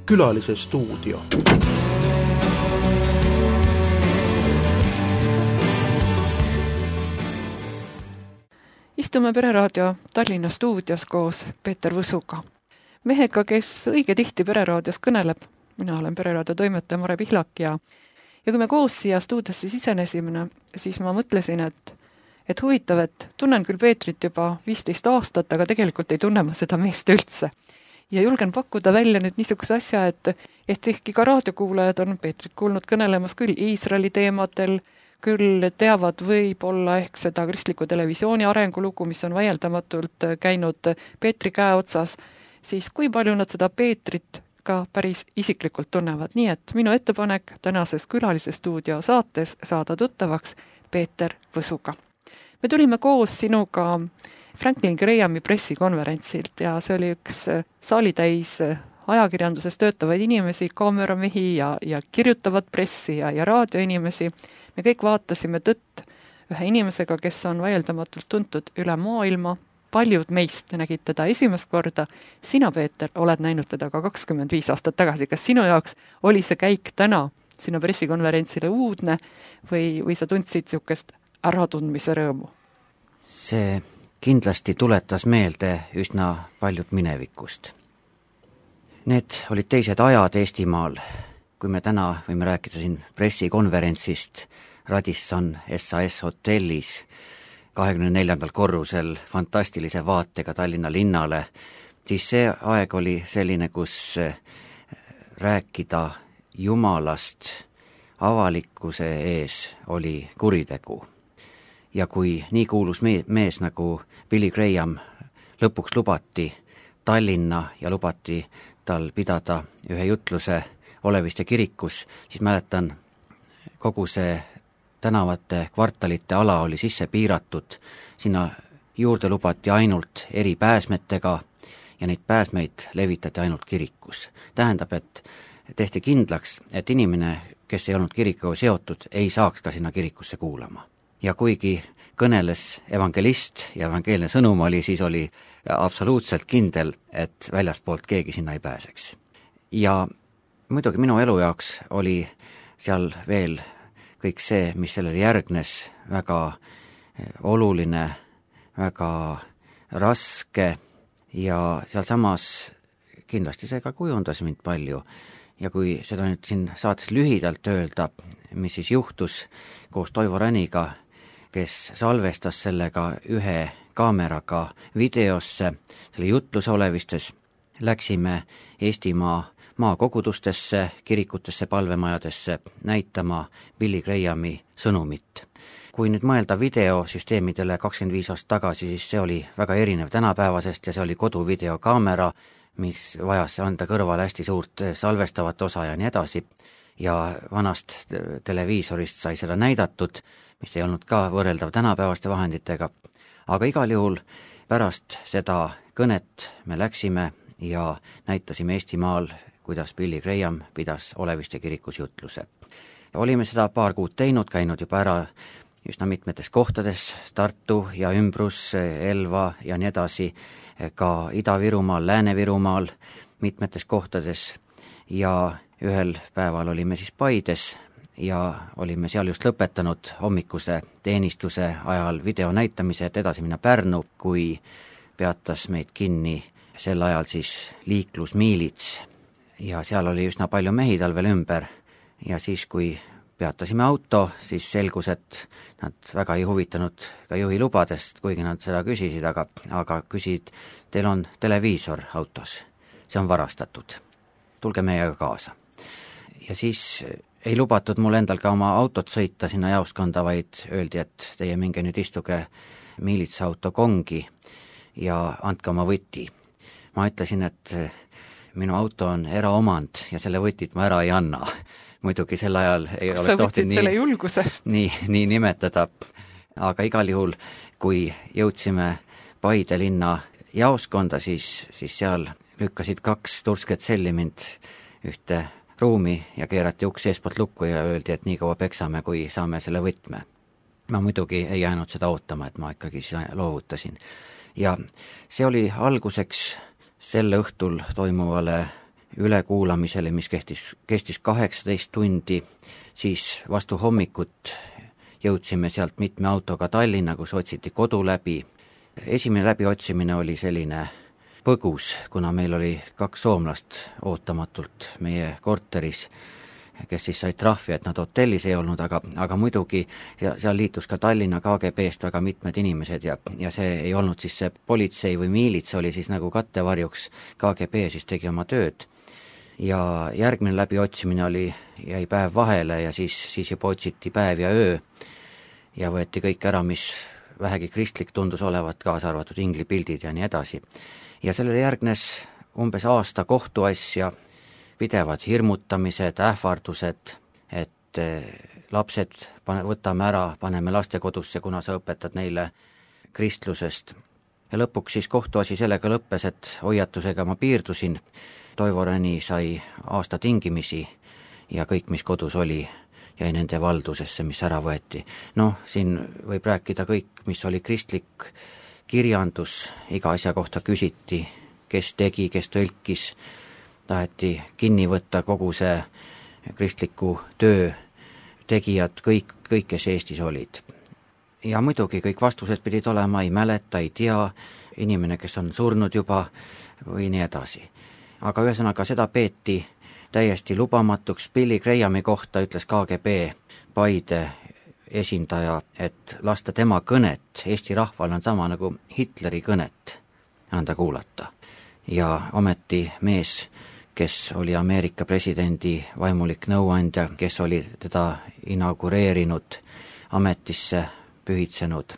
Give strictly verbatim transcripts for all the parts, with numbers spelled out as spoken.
Külalise stuudio. Istume Pereraadio Tallinna stuudios koos Peeter Võsuga. Mehega, kes õige tihti Pereraadios kõneleb. Mina olen Pereraadio toimetaja Mare Pihlak ja, ja kui me koos siia stuudiosse sisenesime, siis ma mõtlesin, et, et huvitav, et tunnen küll Peetrit juba viisteist aastat, aga tegelikult ei tunne ma seda meest üldse. Ja julgen pakkuda välja nüüd niisuguse asja, et, et ehkki ka raadiokuulajad on Peetrit kuulnud kõnelemas küll Iisraeli teemadel, küll teavad võib-olla ehk seda kristliku televisiooni arengulugu, mis on vaieldamatult käinud Peetri käe otsas, siis kui palju nad seda Peetrit ka päris isiklikult tunnevad. Nii et minu ettepanek tänases Külalise stuudio saates saada tuttavaks Peeter Võsuga. Me tulime koos sinuga Franklin Grahami pressikonverentsilt ja see oli üks saalitäis ajakirjanduses töötavaid inimesi, kaameramehi ja, ja kirjutavat pressi ja, ja raadioinimesi. Me kõik vaatasime tõtt ühe inimesega, kes on vaieldamatult tuntud üle maailma. Paljud meist nägid teda esimest korda. Sina, Peeter, oled näinud teda ka kakskümmend viis aastat tagasi. Kas sinu jaoks oli see käik täna sinu pressikonverentsile uudne või, või sa tundsid niisugust äratundmise rõõmu? See kindlasti tuletas meelde üsna paljud minevikust. Need olid teised ajad Eestimaal, kui me täna võime rääkida siin pressikonverentsist Radisson S A S hotellis kahekümne neljandal korrusel fantastilise vaatega Tallinna linnale, siis see aeg oli selline, kus rääkida Jumalast avalikkuse ees oli kuritegu. Ja kui nii kuulus mees nagu Billy Graham lõpuks lubati Tallinna ja lubati tal pidada ühe jutluse Oleviste kirikus, siis mäletan, kogu see tänavate kvartalite ala oli sisse piiratud, sinna juurde lubati ainult eri pääsmetega ja neid pääsmeid levitati ainult kirikus. Tähendab, et tehti kindlaks, et inimene, kes ei olnud kirikuga seotud, ei saaks ka sinna kirikusse kuulama. Ja kuigi kõneles evangelist ja evangeelne sõnum oli, siis oli absoluutselt kindel, et väljaspoolt keegi sinna ei pääseks. Ja muidugi minu elu jaoks oli seal veel kõik see, mis sellele järgnes, väga oluline, väga raske ja sealsamas kindlasti see ka kujundas mind palju. Ja kui seda nüüd siin saates lühidalt öelda, mis siis juhtus koos Toivo Räniga, kes salvestas sellega ühe kaameraga videosse, selle jutluse Olevistes, läksime Eestimaa maakogudustesse, kirikutesse, palvemajadesse näitama Billy Grahami sõnumit. Kui nüüd mõelda videosüsteemidele kakskümmend viis aastat tagasi, siis see oli väga erinev tänapäevasest ja see oli koduvideokaamera, mis vajas anda kõrvale hästi suurt salvestavat osa ja nii edasi. Ja vanast televiisorist sai seda näidatud, mis ei olnud ka võrreldav tänapäevaste vahenditega. Aga igal juhul pärast seda kõnet me läksime ja näitasime Eestimaal, kuidas Billy Graham pidas Oleviste kirikus jutluse. Olime seda paar kuud teinud, käinud juba ära üsna mitmetes kohtades, Tartu ja ümbrus, Elva ja nii edasi, ka Ida-Virumaal, Lääne-Virumaal, mitmetes kohtades ja ühel päeval olime siis Paides ja olime seal just lõpetanud hommikuse teenistuse ajal video näitamise, et edasi minna Pärnu, kui peatas meid kinni sel ajal siis liiklusmiilits ja seal oli üsna palju mehi tal veel ümber ja siis, kui peatasime auto, siis selgus, et nad väga ei huvitanud ka juhi lubadest, kuigi nad seda küsisid, aga, aga küsid, teil on televiisor autos, see on varastatud, tulge meiega kaasa. Ja siis ei lubatud mul endal ka oma autot sõita sinna jaoskonda, vaid öeldi, et teie minge nüüd istuge miilitsauto kongi ja andke oma võti. Ma ütlesin, et minu auto on eraomand ja selle võtit ma ära ei anna. Muidugi sel ajal ei Kas oleks tohtinud nii, nii, nii nimetada, aga igal juhul, kui jõudsime Paide linna jaoskonda, siis, siis seal lükkasid kaks tursket selli mind ühte ruumi ja keerati uks eespoolt lukku ja öeldi, et nii kaua peksame, kui saame selle võtme. Ma muidugi ei jäänud seda ootama, et ma ikkagi loovutasin. Ja see oli alguseks selle õhtul toimuvale ülekuulamisele, mis kestis, kestis kaheksateist tundi, siis vastu hommikut jõudsime sealt mitme autoga Tallinna, kus otsiti kodu läbi. Esimene läbiotsimine oli selline põgus, kuna meil oli kaks soomlast ootamatult meie korteris, kes siis said trahvi, et nad hotellis ei olnud, aga, aga muidugi seal liitus ka Tallinna K G B-st väga mitmed inimesed ja, ja see ei olnud siis see politsei või miilits, oli siis nagu kattevarjuks, K G B siis tegi oma tööd. Ja järgmine läbiotsimine oli, jäi päev vahele ja siis, siis juba otsiti päev ja öö ja võeti kõik ära, mis vähegi kristlik tundus olevat, kaasa arvatud inglipildid ja nii edasi. Ja sellele järgnes umbes aasta kohtuasja, pidevad hirmutamised, ähvardused, et lapsed pane, võtame ära, paneme lastekodusse, kuna sa õpetad neile kristlusest. Ja lõpuks siis kohtuasi sellega lõppes, et hoiatusega ma piirdusin. Toivo Räni sai aasta tingimisi ja kõik, mis kodus oli, jäi nende valdusesse, mis ära võeti. Noh, siin võib rääkida kõik, mis oli kristlik kirjandus, iga asja kohta küsiti, kes tegi, kes tõlkis, taheti kinni võtta kogu see kristliku töö tegijad, kõik, kõik, kes Eestis olid. Ja muidugi kõik vastused pidid olema, ei mäleta, ei tea, inimene, kes on surnud juba või nii edasi. Aga ühesõnaga seda peeti täiesti lubamatuks. Billy Grahami kohta ütles K G B Paide esindaja, et lasta tema kõnet Eesti rahval on sama nagu Hitleri kõnet anda kuulata. Ja ometi mees, kes oli Ameerika presidendi vaimulik nõuandja, kes oli teda inaugureerinud, ametisse pühitsenud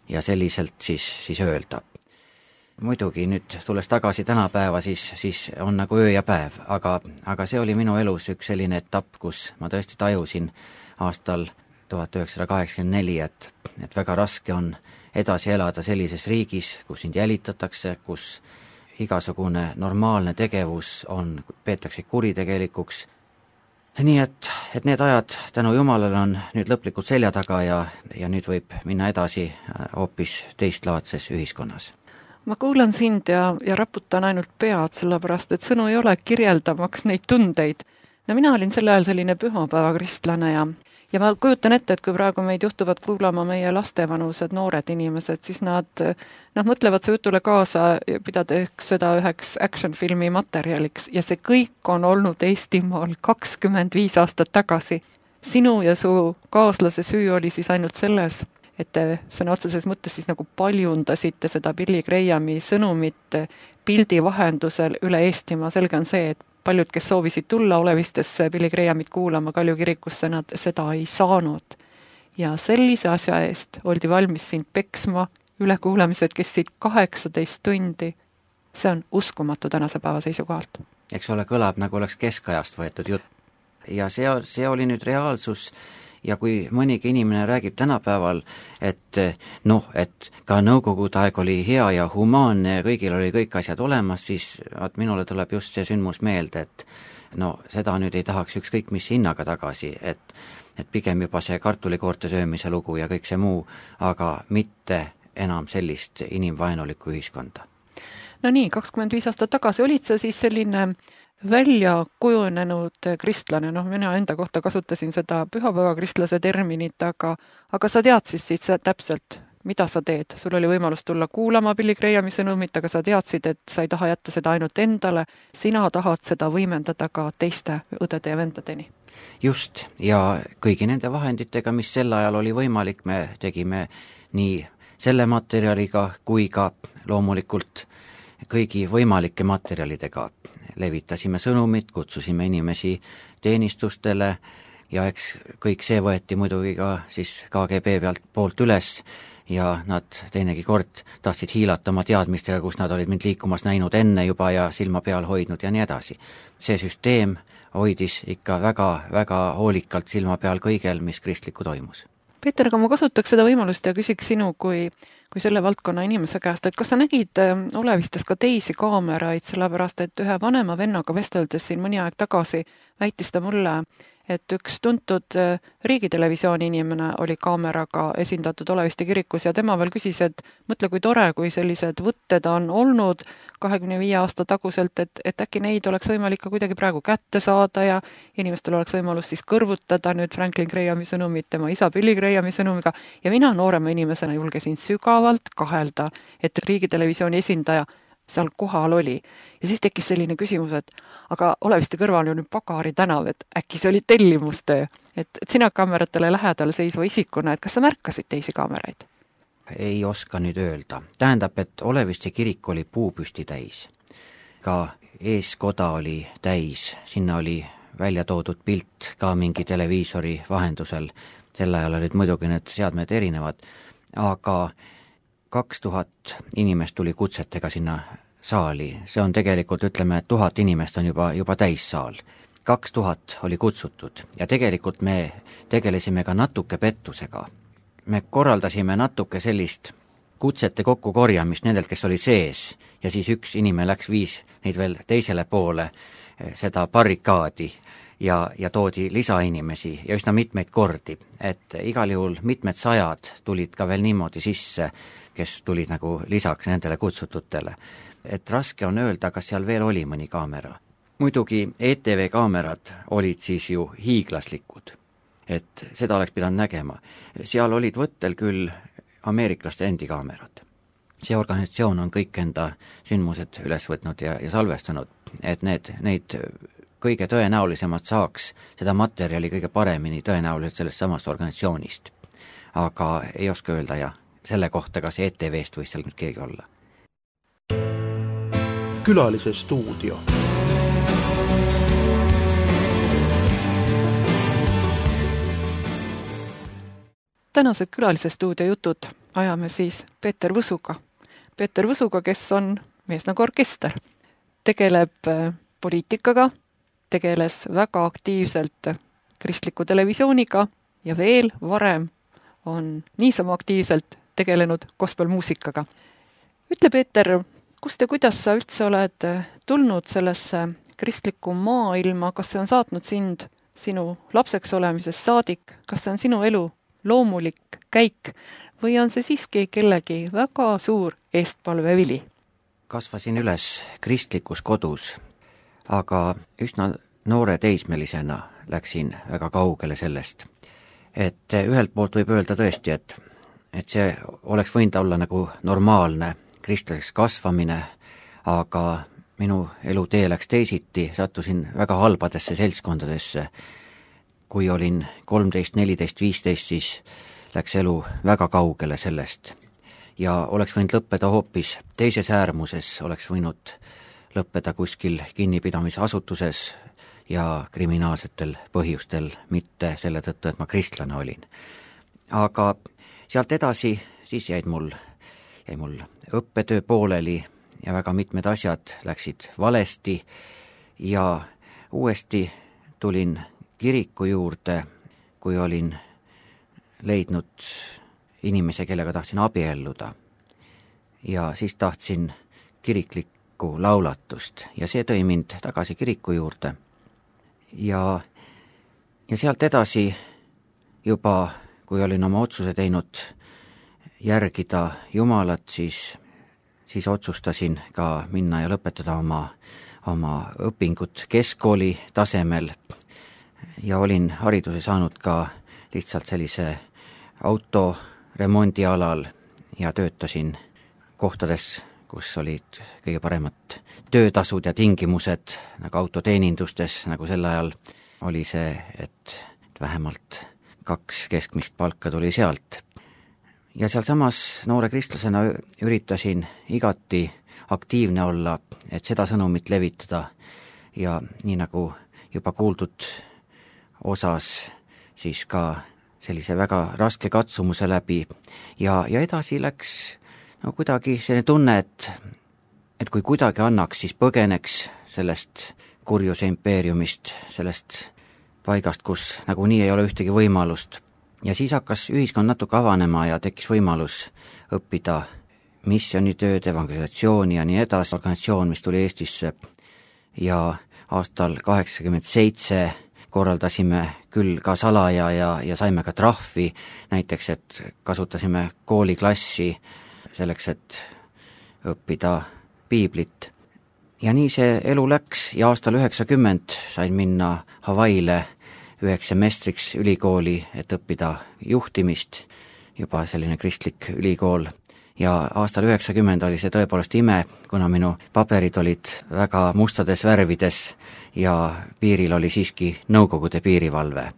ja selliselt siis, siis öelda. Muidugi nüüd tulles tagasi tänapäeva, siis, siis on nagu öö ja päev, aga, aga see oli minu elus üks selline etapp, kus ma tõesti tajusin aastal tuhat üheksasada kaheksakümmend neli, et, et väga raske on edasi elada sellises riigis, kus sind jälitatakse, kus igasugune normaalne tegevus on, peetakse kuritegelikuks. Nii et, et need ajad tänu Jumalale on nüüd lõplikult selja taga ja, ja nüüd võib minna edasi hoopis teistlaadses ühiskonnas. Ma kuulan sind ja, ja raputan ainult pead, sellepärast et sõnu ei ole kirjeldamaks neid tundeid. No mina olin sel ajal selline pühapäeva kristlane ja Ja ma kujutan ette, et kui praegu meid juhtuvad kuulama meie lastevanused noored inimesed, siis nad noh, mõtlevad see jutule kaasa, pidades seda üheks action-filmi materjaliks ja see kõik on olnud Eestimaal kakskümmend viis aastat tagasi. Sinu ja su kaaslase süü oli siis ainult selles, et te sõna otseses mõttes siis nagu paljundasite seda Billy Grahami sõnumit pildi vahendusel üle Eestimaa. Selge on see, et paljud, kes soovisid tulla Olevistesse Billy Grahamit kuulama Kalju kirikusse, nad seda ei saanud. Ja sellise asja eest oldi valmis sind peksma, ülekuulamised kestsid kaheksateist tundi. See on uskumatu tänase päeva seisukohalt. Eks ole, kõlab nagu oleks keskajast võetud jutt. Ja see, see oli nüüd reaalsus. Ja kui mõnigi inimene räägib tänapäeval, et noh, et ka nõukogude aeg oli hea ja humaanne ja kõigil oli kõik asjad olemas, siis at minule tuleb just see sündmus meelde, et no seda nüüd ei tahaks ükskõik mis hinnaga tagasi, et, et pigem juba see kartulikoorte söömise lugu ja kõik see muu, aga mitte enam sellist inimvaenulikku ühiskonda. No nii, kakskümmend viis aastat tagasi olid sa siis selline välja kujunenud kristlane, noh mina enda kohta kasutasin seda pühapäeva kristlase terminit, aga, aga sa teadsid siis täpselt, mida sa teed. Sul oli võimalus tulla kuulama Billy Grahami sõnumit, aga sa teadsid, et sa ei taha jätta seda ainult endale, sina tahad seda võimendada ka teiste õdede ja vendadeni. Just, ja kõigi nende vahenditega, mis sel ajal oli võimalik, me tegime nii selle materjaliga kui ka loomulikult kõigi võimalike materjalidega. Levitasime sõnumit, kutsusime inimesi teenistustele ja eks kõik see võeti muidugi ka siis K G B pealt poolt üles ja nad teinegi kord tahtsid hiilata oma teadmistega, kus nad olid mind liikumas näinud enne juba ja silma peal hoidnud ja nii edasi. See süsteem hoidis ikka väga, väga hoolikalt silma peal kõigel, mis kristlikku toimus. Peeter, aga ma kasutaks seda võimalust ja küsiks sinu kui, kui selle valdkonna inimese käest, et kas sa nägid Olevistes ka teisi kaameraid, sellepärast et ühe vanema vennaga vesteldes siin mõni aeg tagasi väitis ta mulle, et üks tuntud riigitelevisiooni inimene oli kaameraga esindatud Oleviste kirikus ja tema veel küsis, et mõtle, kui tore, kui sellised võtted on olnud kahekümne viie aasta taguselt, et, et äkki neid oleks võimalik ka kuidagi praegu kätte saada ja inimestel oleks võimalus siis kõrvutada nüüd Franklin Grahami sõnumit tema isa Billy Grahami sõnumiga ja mina noorema inimesena julgesin sügavalt kahelda, et riigitelevisiooni esindaja seal kohal oli. Ja siis tekkis selline küsimus, et aga Oleviste kõrval on nüüd Pagari tänav, et äkki see oli tellimustöö. Et, et sina kaameratele lähedal seisva isikuna, et kas sa märkasid teisi kaameraid? Ei oska nüüd öelda. Tähendab, et Oleviste kirik oli puupüsti täis. Ka eeskoda oli täis, sinna oli välja toodud pilt ka mingi televiisori vahendusel. Sel ajal olid muidugi need seadmed erinevad, aga kaks tuhat inimest tuli kutsetega sinna saali. See on tegelikult, ütleme, et tuhat inimest on juba, juba täissaal. Kaks tuhat oli kutsutud ja tegelikult me tegelesime ka natuke pettusega. Me korraldasime natuke sellist kutsete kokku korjamist nendelt, kes oli sees ja siis üks inimene läks viis neid veel teisele poole seda barrikaadi ja, ja toodi lisainimesi ja üsna mitmeid kordi, et igal juhul mitmed sajad tulid ka veel niimoodi sisse, kes tulid nagu lisaks nendele kutsututele. Et raske on öelda, kas seal veel oli mõni kaamera. Muidugi E T V kaamerad olid siis ju hiiglaslikud, et seda oleks pidanud nägema. Seal olid võttel küll ameeriklaste endi kaamerad. See organisatsioon on kõik enda sündmused üles võtnud ja, ja salvestanud, et need, neid kõige tõenäolisemad saaks seda materjali kõige paremini tõenäoliselt sellest samast organisatsioonist. Aga ei oska öelda ja selle kohta, kas E T V-st võis seal nüüd keegi olla. Külalise stuudio. Tänased külalise stuudio jutud ajame siis Peeter Võsuga. Peeter Võsuga, kes on mees nagu orkester. Tegeleb poliitikaga, tegeles väga aktiivselt kristliku televisiooniga ja veel varem on niisama aktiivselt tegelenud gospelmuusikaga. Ütle, Peeter, kust ja kuidas sa üldse oled tulnud sellesse kristlikku maailma, kas see on saatnud sind sinu lapseks olemisest saadik, kas see on sinu elu loomulik käik või on see siiski kellegi väga suur eestpalvevili? Kasvasin üles kristlikus kodus, aga üsna noore teismelisena läksin väga kaugele sellest. Et ühelt poolt võib öelda tõesti, et et see oleks võinud olla nagu normaalne kristlaseks kasvamine, aga minu elutee läks teisiti, sattusin väga halbadesse seltskondadesse. Kui olin kolmteist, neliteist, viisteist, siis läks elu väga kaugele sellest ja oleks võinud lõppeda hoopis teises äärmuses, oleks võinud lõppeda kuskil kinnipidamisasutuses ja kriminaalsetel põhjustel, mitte selle tõttu, et ma kristlane olin. Aga sealt edasi siis jäid mul, jäi mul õppetöö pooleli ja väga mitmed asjad läksid valesti ja uuesti tulin kiriku juurde, kui olin leidnud inimese, kellega tahtsin abielluda ja siis tahtsin kiriklikku laulatust ja see tõi mind tagasi kiriku juurde ja, ja sealt edasi juba kui olin oma otsuse teinud järgida Jumalat, siis, siis otsustasin ka minna ja lõpetada oma, oma õpingut keskkooli tasemel ja olin hariduse saanud ka lihtsalt sellise autoremondi alal ja töötasin kohtades, kus olid kõige paremad töötasud ja tingimused, nagu autoteenindustes, nagu sel ajal oli see, et, et vähemalt kaks keskmist palka tuli sealt. Ja seal samas noore kristlasena üritasin igati aktiivne olla, et seda sõnumit levitada ja nii nagu juba kuuldud osas siis ka sellise väga raske katsumuse läbi ja, ja edasi läks no kuidagi selline tunne, et, et kui kuidagi annaks, siis põgeneks sellest kurjuse impeeriumist, sellest paigast, kus nagunii ei ole ühtegi võimalust. Ja siis hakkas ühiskond natuke avanema ja tekkis võimalus õppida missionitööd, evangelisatsiooni ja nii edasi. Organisatsioon, mis tuli Eestisse ja aastal kaheksakümmend seitse korraldasime küll ka salaja ja, ja saime ka trahvi, näiteks et kasutasime kooliklassi selleks, et õppida piiblit. Ja nii see elu läks ja aastal üheksakümmend sain minna Hawaiile üheks semestriks ülikooli, et õppida juhtimist, juba selline kristlik ülikool. Ja aastal üheksakümmend oli see tõepoolest ime, kuna minu paberid olid väga mustades värvides ja piiril oli siiski Nõukogude piirivalve.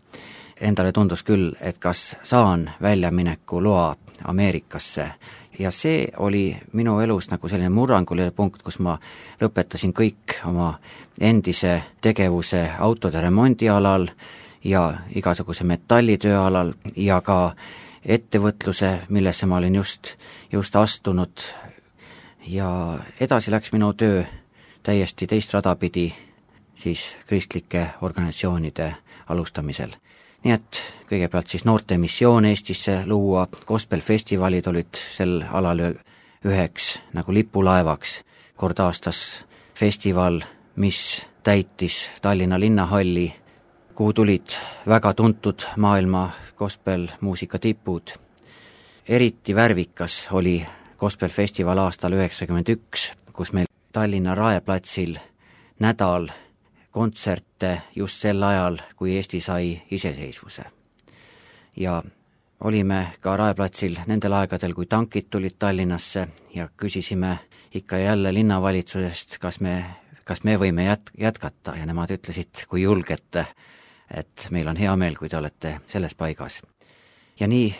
Endale tundus küll, et kas saan väljamineku loa Ameerikasse. Ja see oli minu elus nagu selline murranguline punkt, kus ma lõpetasin kõik oma endise tegevuse autode remondi alal ja igasuguse metallitöö alal ja ka ettevõtluse, millesse ma olin just, just astunud. Ja edasi läks minu töö täiesti teist rada pidi siis kristlike organisatsioonide alustamisel. Nii et kõigepealt siis noorte missioon Eestisse luua, gospelfestivalid olid sel alal üheks nagu lipulaevaks, kord aastas festival, mis täitis Tallinna linnahalli, kuhu tulid väga tuntud maailma gospelmuusika tipud. Eriti värvikas oli gospelfestival aastal üheksakümmend üks, kus meil Tallinna Raeplatsil nädal kontserte just sel ajal, kui Eesti sai iseseisvuse. Ja olime ka Raeplatsil nendel aegadel, kui tankid tulid Tallinnasse ja küsisime ikka jälle linnavalitsusest, kas me, kas me võime jät- jätkata ja nemad ütlesid, kui julgete, et meil on hea meel, kui te olete selles paigas. Ja nii,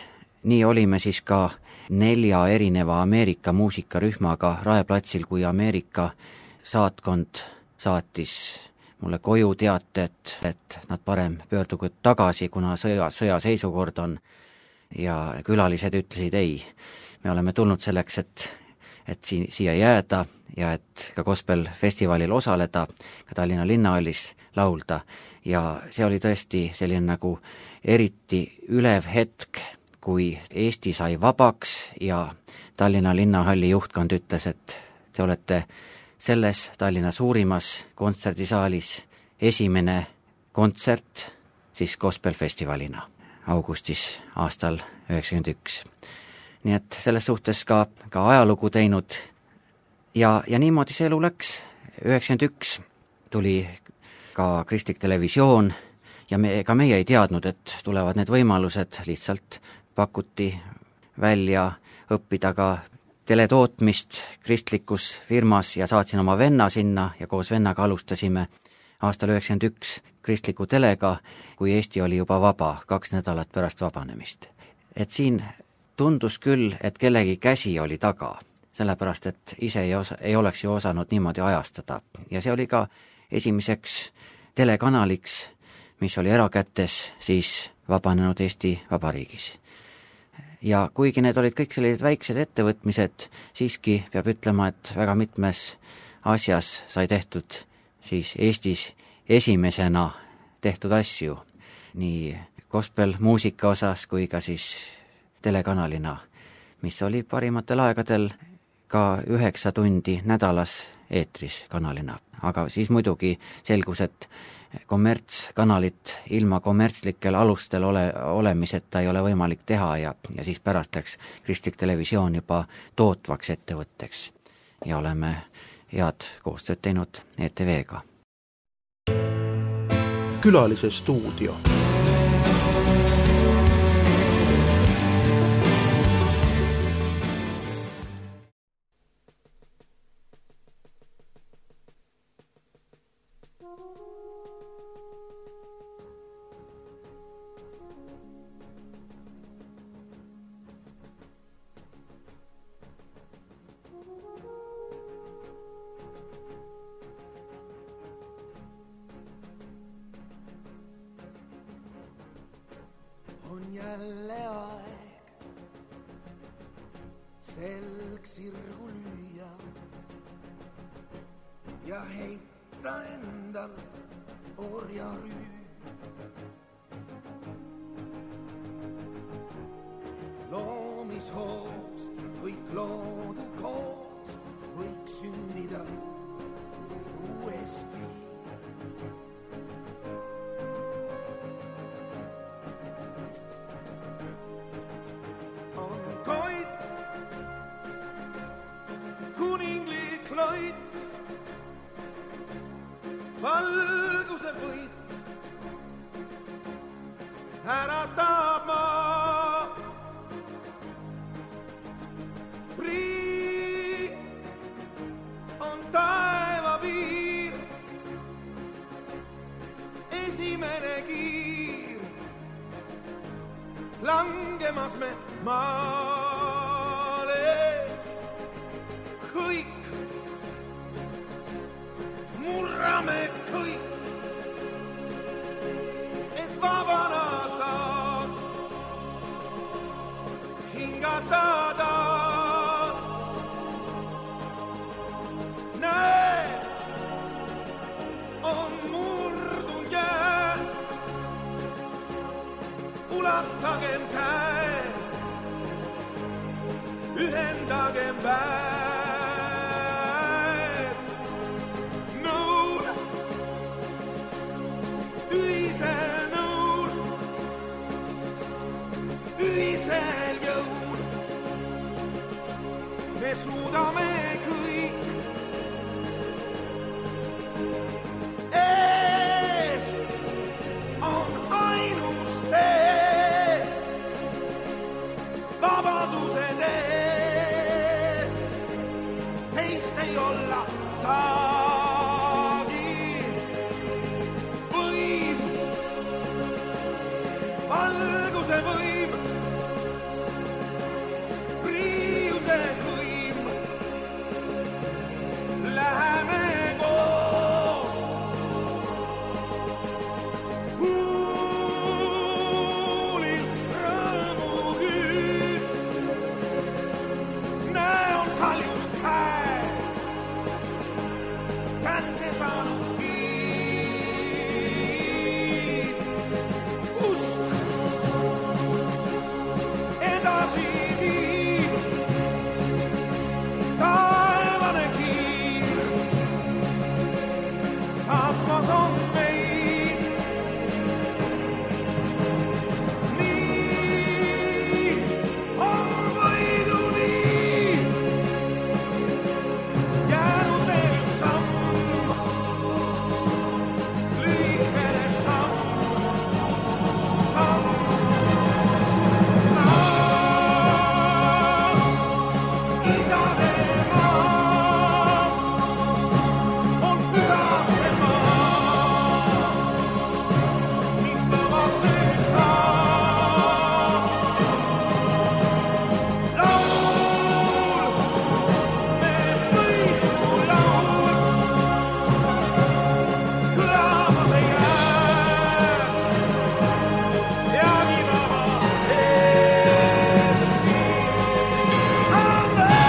nii olime siis ka nelja erineva Ameerika muusikarühmaga Raeplatsil, kui Ameerika saatkond saatis mulle koju teate, et, et nad parem pöördugu tagasi, kuna sõja, sõjaseisukord on. Ja külalised ütlesid ei. Me oleme tulnud selleks, et, et siin, siia jääda ja et ka gospelfestivalil osaleda, ka Tallinna linnahallis laulda. Ja see oli tõesti selline nagu eriti ülev hetk, kui Eesti sai vabaks ja Tallinna linnahalli juhtkond ütles, et te olete selles Tallinna suurimas kontserdisaalis esimene kontsert siis gospelfestivalina augustis aastal üheksakümmend üks. Nii et selles suhtes ka, ka ajalugu teinud ja, ja niimoodi see elu läks. üheksakümmend üks tuli ka kristlik televisioon ja me, ka meie ei teadnud, et tulevad need võimalused, lihtsalt pakuti välja õppida ka teletootmist kristlikus firmas ja saatsin oma venna sinna ja koos vennaga alustasime aastal üheksakümmend üks kristliku telega, kui Eesti oli juba vaba, kaks nädalat pärast vabanemist. Et siin tundus küll, et kellegi käsi oli taga, sellepärast et ise ei, osa, ei oleks ju osanud niimoodi ajastada. Ja see oli ka esimeseks telekanaliks, mis oli erakätes siis vabanenud Eesti Vabariigis. Ja kuigi need olid kõik sellised väiksed ettevõtmised, siiski peab ütlema, et väga mitmes asjas sai tehtud siis Eestis esimesena tehtud asju, nii gospelmuusika osas kui ka siis telekanalina, mis oli parimatel aegadel ka üheksa tundi nädalas eetris kanalina. Aga siis muidugi selgus, et kommertskanalit ilma kommertslikel alustel ole, olemiseta ei ole võimalik teha ja, ja siis pärast läks kristlik televisioon juba tootvaks ettevõtteks ja oleme head koostööd teinud E T V-ga. Külalise stuudio. On jälle aeg selg sirgu lüüa ja heita endalt orjarüü. Loomishoos kõik loode koos võiks sündida uuesti. valguse võit äratab maa. Prii on taeva piir, esimene kiir, langemas me maale. Kõik, murrame kõik, et vabana saaks hingata taas. Näe, on murdun jää, ulatagem käed, ühendagem väed. Nõul, ühisel nõul, ühisel jõul, me suudame kõik. Ees on ainus tee, vabaduse tee, teist ei olla saagi. Võim, valguse võim, priiuse võim, läheme koos. Huulil rõõmu küüd, näe on kaljust käe, kätte saanud kiid. Usk edasi viib, taevane kiir, saatmas on meid. Nii on võiduni jäänud veel üks samm, lühikene samm, samm. Isade maa on pühasse maa, mis vabaks nüüd saab. Laul, me võidu laul, kõlamas ei jää, peagi vaba Eesti saab veel.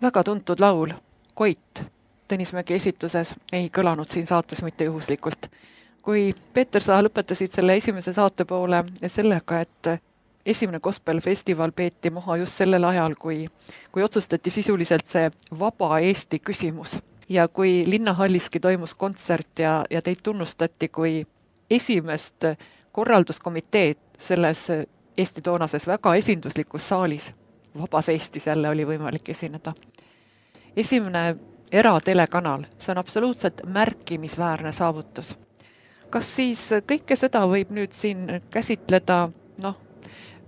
Väga tuntud laul Koit Tõnis Mägi esituses ei kõlanud siin saates mitte juhuslikult. Kui Peeter, sa lõpetasid selle esimese saate poole sellega, et esimene gospelfestival peeti maha just sellel ajal, kui, kui otsustati sisuliselt see vaba Eesti küsimus. Ja kui Linnahalliski toimus kontsert ja, ja teid tunnustati kui esimest korralduskomiteed selles Eesti toonases väga esinduslikus saalis, vabas Eestis jälle oli võimalik esineda. Esimene eratelekanal, see on absoluutselt märkimisväärne saavutus. Kas siis kõike seda võib nüüd siin käsitleda, noh,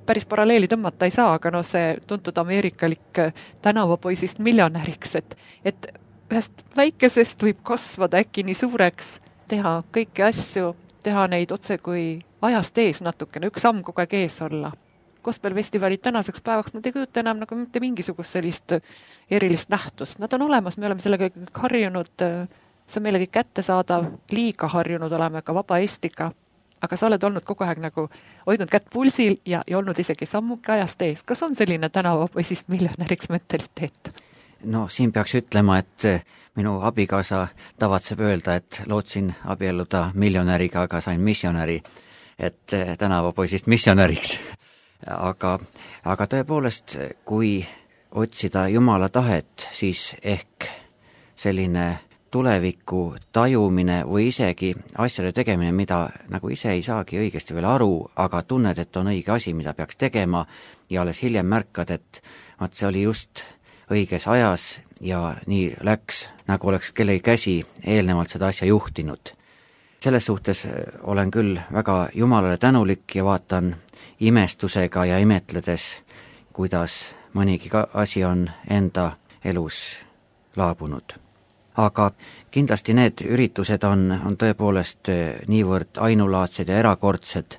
päris paralleeli tõmmata ei saa, aga no see tuntud ameerikalik tänavapoisist miljonäriks, et, et ühest väikesest võib kasvada äkki nii suureks, teha kõiki asju, teha neid otse kui ajast ees natukene, üks samm kogu aeg ees olla. Gospelfestivalid tänaseks päevaks, nad ei kujuta enam nagu mitte mingisugust sellist erilist nähtust. Nad on olemas, me oleme sellega harjunud, see on meile kõik kättesaadav, liiga harjunud oleme ka vaba Eestiga. aga sa oled olnud kogu aeg nagu hoidnud kätt pulsil ja, ja olnud isegi sammuke ajast ees. Kas on selline tänavapoisist miljonäriks mentaliteet? No siin peaks ütlema, et minu abikaasa tavatseb öelda, et lootsin abielluda miljonäriga, aga sain missionäri, et tänavapoisist missionäriks. Aga, aga tõepoolest, kui otsida Jumala tahet, siis ehk selline tuleviku tajumine või isegi asjade tegemine, mida nagu ise ei saagi õigesti veel aru, aga tunned, et on õige asi, mida peaks tegema ja alles hiljem märkad, et vaat see oli just õiges ajas ja nii läks, nagu oleks kellegi käsi eelnevalt seda asja juhtinud. Selles suhtes olen küll väga Jumalale tänulik ja vaatan imestusega ja imetledes, kuidas mõnigi asi on enda elus laabunud. Aga kindlasti need üritused on, on tõepoolest niivõrd ainulaadsed ja erakordsed,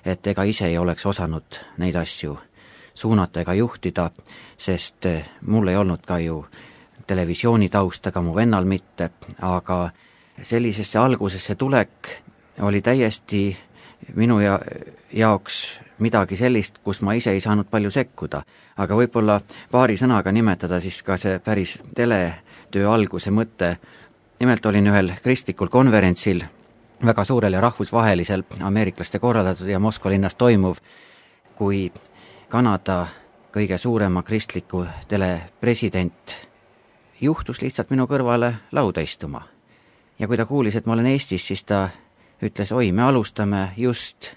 et ega ise ei oleks osanud neid asju suunata ega juhtida, sest mul ei olnud ka ju televisiooni taust, aga mu vennal mitte, aga sellisesse algusesse tulek oli täiesti minu ja, jaoks midagi sellist, kus ma ise ei saanud palju sekkuda. Aga võib-olla paari sõnaga nimetada siis ka see päris teletöö alguse mõte. Nimelt olin ühel kristlikul konverentsil, väga suurel ja rahvusvahelisel, ameeriklaste korraldatud ja Moskva linnas toimuv, kui Kanada kõige suurema kristliku telepresident juhtus lihtsalt minu kõrvale lauda istuma. Ja kui ta kuulis, et ma olen Eestis, siis ta ütles, oi, me alustame just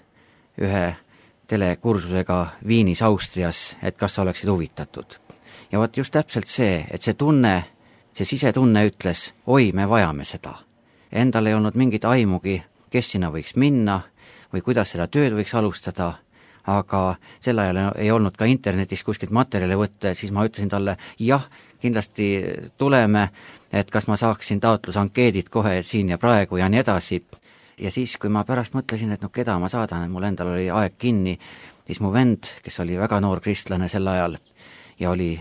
ühe telekursusega Viinis, Austrias, et kas sa oleksid huvitatud. Ja vaat just täpselt see, et see tunne, see sisetunne ütles, oi, me vajame seda. Endal ei olnud mingit aimugi, kes sinna võiks minna või kuidas seda tööd võiks alustada, aga sel ajal ei olnud ka internetis kuskilt materjali võtta, siis ma ütlesin talle, jah, kindlasti tuleme, et kas ma saaksin taotlusankeedid kohe siin ja praegu ja nii edasi. Ja siis, kui ma pärast mõtlesin, et no keda ma saadan, et mul endal oli aeg kinni, siis mu vend, kes oli väga noor kristlane sel ajal ja oli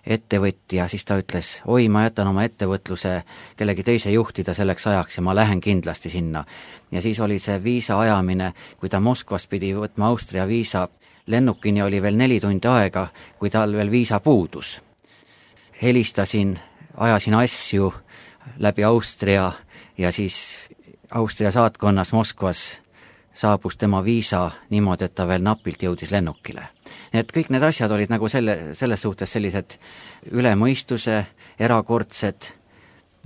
ettevõtja, siis ta ütles, oi, ma jätan oma ettevõtluse kellegi teise juhtida selleks ajaks ja ma lähen kindlasti sinna. Ja siis oli see viisa ajamine, kui ta Moskvas pidi võtma Austria viisa, lennukini oli veel neli tundi aega, kui tal veel viisa puudus. Helistasin, ajasin asju läbi Austria ja siis Austria saatkonnas Moskvas saabus tema viisa niimoodi, et ta veel napilt jõudis lennukile. Nii et kõik need asjad olid nagu selle, selles suhtes sellised ülemõistuse, erakordsed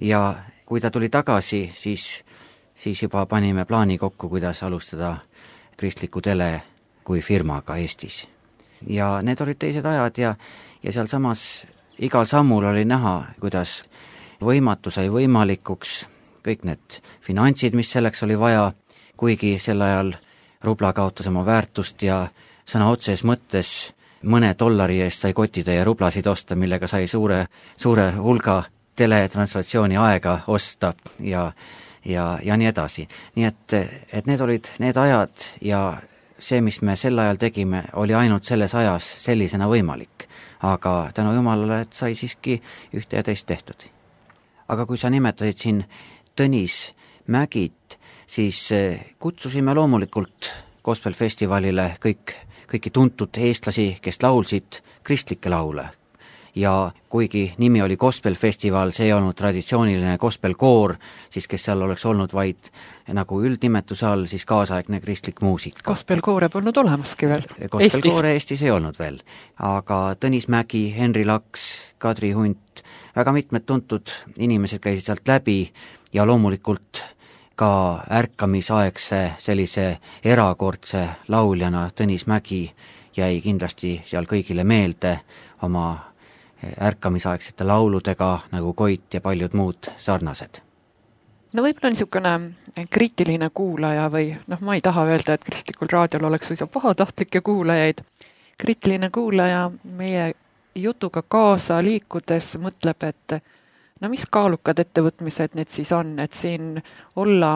ja kui ta tuli tagasi, siis, siis juba panime plaani kokku, kuidas alustada kristliku tele kui firmaga Eestis. Ja need olid teised ajad ja, ja seal samas igal sammul oli näha, kuidas võimatu sai võimalikuks, kõik need finantsid, mis selleks oli vaja, kuigi sel ajal rubla kaotas oma väärtust ja sõna otses mõttes mõne dollari eest sai kotitäie rublasid osta, millega sai suure, suure hulga teletranslaatsiooni aega osta ja, ja, ja nii edasi. Nii et, et need olid need ajad ja see, mis me sel ajal tegime, oli ainult selles ajas sellisena võimalik. Aga tänu Jumalale, et sai siiski ühte ja teist tehtud. Aga kui sa nimetasid siin Tõnis Mägit, siis kutsusime loomulikult gospelfestivalile kõik, kõiki tuntud eestlasi, kes laulsid kristlikke laule. Ja kuigi nimi oli gospelfestival, see ei olnud traditsiooniline gospelkoor, siis kes seal oleks olnud vaid nagu üldnimetuse all, siis kaasaegne kristlik muusika. Gospelkoore polnud olemaski veel Gospelkoore Eestis. Eestis ei olnud veel, aga Tõnis Mägi, Henri Laks, Kadri Hunt, väga mitmed tuntud inimesed käisid sealt läbi ja loomulikult ka ärkamisaegse sellise erakordse lauljana Tõnis Mägi jäi kindlasti seal kõigile meelde oma ärkamisaegsete lauludega nagu Koit ja paljud muud sarnased. No võib-olla niisugune kriitiline kuulaja või noh, ma ei taha öelda, et kristlikul raadiol oleks suisa pahatahtlikke kuulajaid. Kriitiline kuulaja meie jutuga kaasa liikudes mõtleb, et no mis kaalukad ettevõtmised need siis on, et siin olla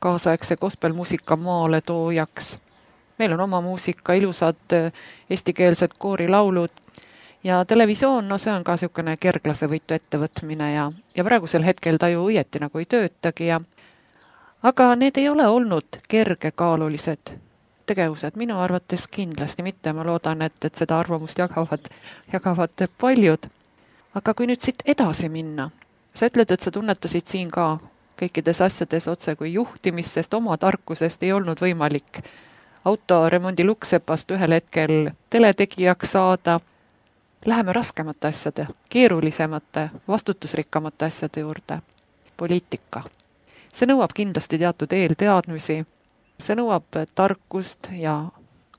kaasaegse gospelmuusika maale toojaks. Meil on oma muusika, ilusad eestikeelsed koorilaulud ja televisioon, no see on ka niisugune kerglase võitu ettevõtmine ja, ja praegusel hetkel ta ju õieti nagu ei töötagi ja aga need ei ole olnud kergekaalulised tegevused, minu arvates kindlasti mitte, ma loodan, et, et seda arvamust jagavad, jagavad paljud. Aga kui nüüd siit edasi minna, sa ütled, et sa tunnetasid siin ka kõikides asjades otse kui juhtimist, sest oma tarkusest ei olnud võimalik autoremondi Luksepast ühel hetkel teletegijaks saada. Läheme raskemate asjade, keerulisemate, vastutusrikkamate asjade juurde. Poliitika. See nõuab kindlasti teatud eelteadmisi, see nõuab tarkust ja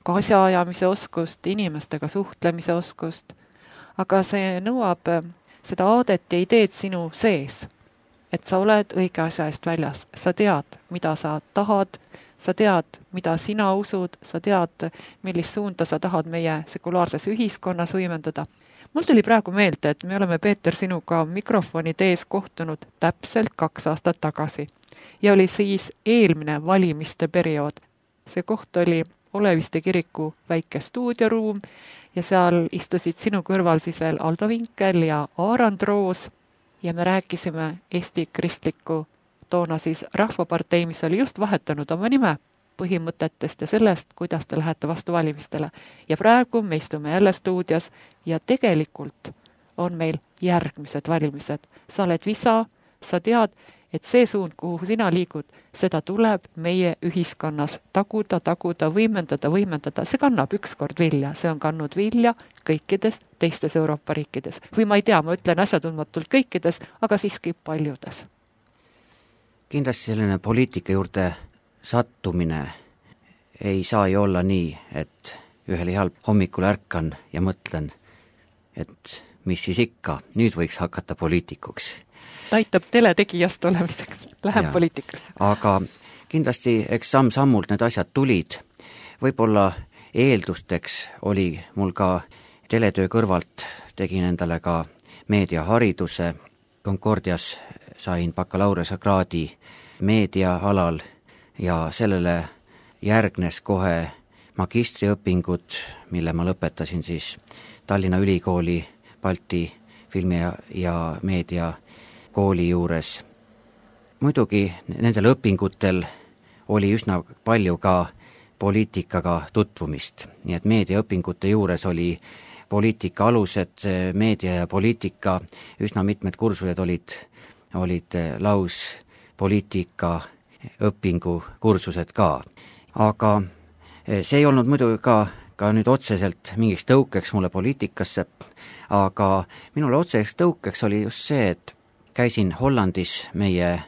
ka asjaajamise oskust, inimestega suhtlemise oskust, aga see nõuab seda aadet ja ideed sinu sees, et sa oled õige asja eest väljas. Sa tead, mida sa tahad, sa tead, mida sina usud, sa tead, millist suunda sa tahad meie sekulaarses ühiskonnas võimendada. Mul tuli praegu meelde, et me oleme, Peeter, sinuga mikrofonid ees kohtunud täpselt kaks aastat tagasi ja oli siis eelmine valimiste periood. See koht oli Oleviste kiriku väike stuudioruum ja seal istusid sinu kõrval siis veel Aldo Vinkel ja Aarand Roos ja me rääkisime Eesti kristliku, toona siis Rahvapartei, mis oli just vahetanud oma nime, põhimõtetest ja sellest, kuidas te lähete vastu valimistele. Ja praegu me istume jälle stuudios ja tegelikult on meil järgmised valimised. Sa oled visa, sa tead, et see suund, kuhu sina liigud, seda tuleb meie ühiskonnas taguda, taguda, võimendada, võimendada. See kannab ükskord vilja, see on kannud vilja kõikides teistes Euroopa riikides. Või ma ei tea, ma ütlen asjatundmatult kõikides, aga siiski paljudes. Kindlasti selline poliitika juurde sattumine ei saa ju olla nii, et ühel heal hommikul ärkan ja mõtlen, et mis siis ikka, nüüd võiks hakata poliitikuks. Ta aitab teletegijast olemiseks, läheb ja, poliitikasse. Aga kindlasti eks samm-sammult need asjad tulid. Võib-olla eeldusteks oli mul ka teletöö kõrvalt, tegin endale ka meediahariduse, Concordias sain bakalaureuskraadi meediaalal ja sellele järgnes kohe magistriõpingud, mille ma lõpetasin siis Tallinna Ülikooli Balti filmi ja, ja meedia kooli juures. Muidugi nendel õpingutel oli üsna palju ka poliitikaga tutvumist, nii et meediaõpingute juures oli poliitika alused, meedia ja poliitika, üsna mitmed kursused olid, olid laus poliitika õpingu kursused ka. Aga see ei olnud muidu ka, ka nüüd otseselt mingiks tõukeks mulle poliitikasse, aga minule otseseks tõukeks oli just see, et käisin Hollandis meie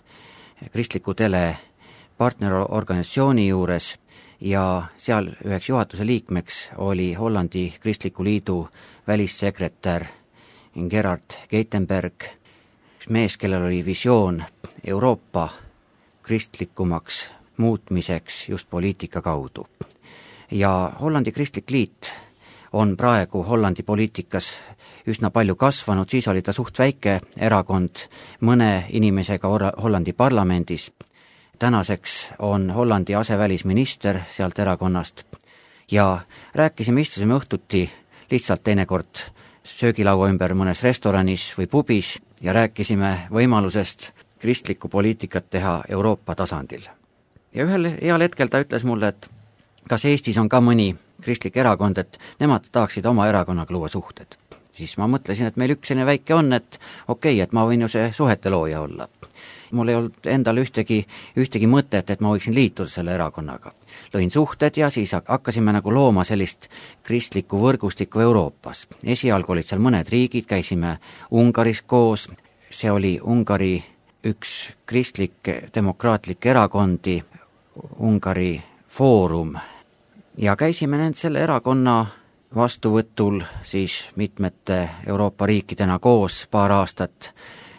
kristliku tele partnerorganisatsiooni juures ja seal üheks juhatuse liikmeks oli Hollandi Kristliku Liidu välissekretär Gerard Geitenberg, üks mees, kellel oli visioon Euroopa kristlikumaks muutmiseks just poliitika kaudu. Ja Hollandi Kristlik Liit on praegu Hollandi poliitikas üsna palju kasvanud, siis oli ta suht väike erakond mõne inimesega Hollandi parlamendis. Tänaseks on Hollandi asevälisminister sealt erakonnast ja rääkisime, istusime õhtuti lihtsalt teinekord söögilaua ümber mõnes restoranis või pubis ja rääkisime võimalusest kristlikku poliitikat teha Euroopa tasandil. Ja ühel heal hetkel ta ütles mulle, et kas Eestis on ka mõni kristlik erakond, et nemad tahaksid oma erakonnaga luua suhted. Siis ma mõtlesin, et meil üks selline väike on, et okei, okay, et ma võin ju see suhete looja olla. Mul ei olnud endal ühtegi, ühtegi mõtet, et ma võiksin liituda selle erakonnaga. Lõin suhted ja siis hakkasime nagu looma sellist kristlikku võrgustikku Euroopas. Esialgu olid seal mõned riigid, käisime Ungaris koos, see oli Ungari üks kristlik demokraatlik erakondi, Ungari Foorum, ja käisime nend selle erakonna vastuvõtul siis mitmete Euroopa riikidena koos paar aastat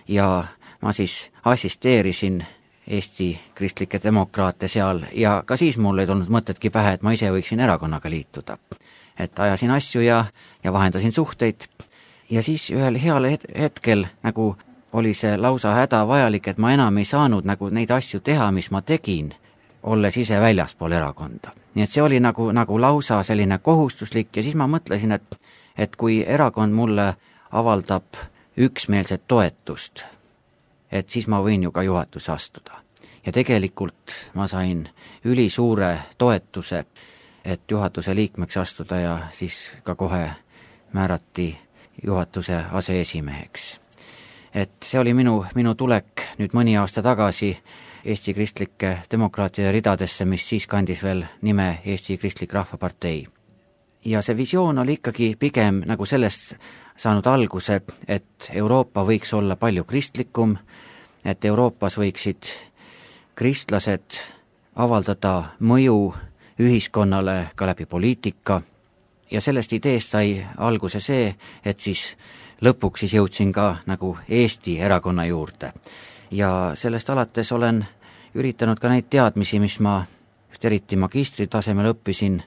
ja ma siis assisteerisin Eesti kristlikke demokraate seal ja ka siis mul ei tulnud mõtetki pähe, et ma ise võiksin erakonnaga liituda. Et ajasin asju ja, ja vahendasin suhteid ja siis ühel heal hetkel nagu oli see lausa hädavajalik, et ma enam ei saanud nagu neid asju teha, mis ma tegin, olles ise väljaspool erakonda. Nii et see oli nagu, nagu lausa selline kohustuslik ja siis ma mõtlesin, et, et kui erakond mulle avaldab üksmeelset toetust, et siis ma võin ju ka juhatusse astuda. ja tegelikult ma sain ülisuure toetuse, et juhatuse liikmeks astuda ja siis ka kohe määrati juhatuse aseesimeheks. Et see oli minu, minu tulek nüüd mõni aasta tagasi Eesti kristlike demokraatide ridadesse, mis siis kandis veel nime Eesti Kristlik Rahvapartei. Ja see visioon oli ikkagi pigem nagu sellest saanud alguse, et Euroopa võiks olla palju kristlikum, et Euroopas võiksid kristlased avaldada mõju ühiskonnale ka läbi poliitika ja sellest ideest sai alguse see, et siis lõpuks siis jõudsin ka nagu Eesti erakonna juurde. Ja sellest alates olen üritanud ka neid teadmisi, mis ma just eriti magistritasemel õppisin,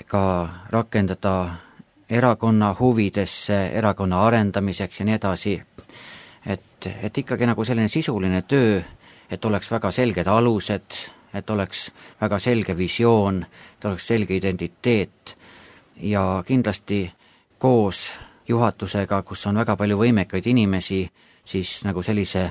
ka rakendada erakonna huvidesse, erakonna arendamiseks ja nii edasi. Et, et ikkagi nagu selline sisuline töö, et oleks väga selged alused, et oleks väga selge visioon, et oleks selge identiteet ja kindlasti koos juhatusega, kus on väga palju võimekaid inimesi, siis nagu sellise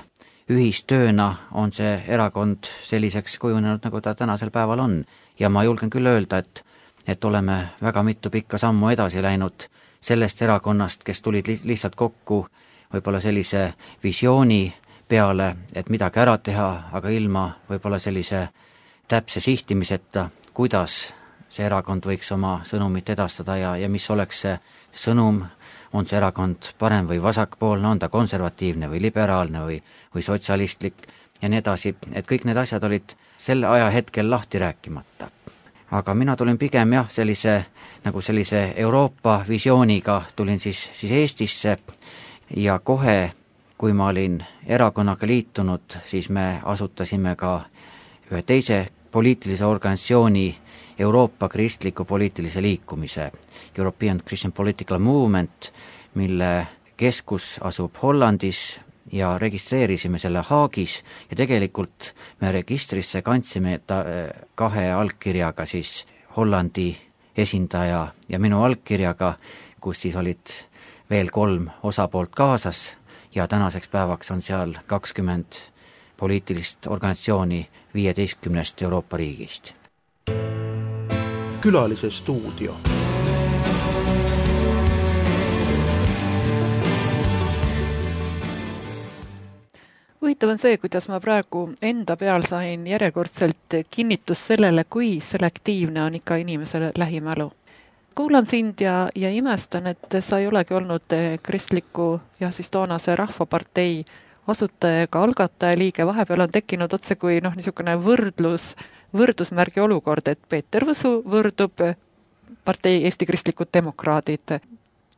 ühistööna on see erakond selliseks kujunenud, nagu ta tänasel päeval on. Ja ma julgen küll öelda, et, et oleme väga mitu pikka sammu edasi läinud sellest erakonnast, kes tulid li- lihtsalt kokku võib-olla sellise visiooni peale, et midagi ära teha, aga ilma võib-olla sellise täpse sihtimiseta, kuidas see erakond võiks oma sõnumit edastada ja, ja mis oleks see sõnum, on see erakond parem või vasakpoolne, on ta konservatiivne või liberaalne või, või sotsialistlik ja nii edasi, et kõik need asjad olid selle aja hetkel lahti rääkimata. Aga mina tulin pigem jah, sellise, nagu sellise Euroopa visiooniga tulin siis, siis Eestisse ja kohe, kui ma olin erakonnaga liitunud, siis me asutasime ka ühe teise poliitilise organisatsiooni Euroopa kristliku poliitilise liikumise, European Christian Political Movement, mille keskus asub Hollandis ja registreerisime selle Haagis ja tegelikult me registrisse kandsime ta kahe allkirjaga siis Hollandi esindaja ja minu allkirjaga, kus siis olid veel kolm osapoolt kaasas ja tänaseks päevaks on seal kakskümmend poliitilist organisatsiooni viieteistkümnest Euroopa riigist. Külalise stuudio. Huvitav on see, kuidas ma praegu enda peal sain järjekordselt kinnitus sellele, kui selektiivne on ikka inimesele lähimälu. Kuulan sind ja, ja imestan, et sa ei olegi olnud kristliku ja siis toonase Rahvapartei asutaja ega algataja liige, vahepeal on tekkinud otse kui noh, niisugune võrdlus, võrdusmärgi olukord, et Peeter Võsu võrdub partei Eesti Kristlikud Demokraadid.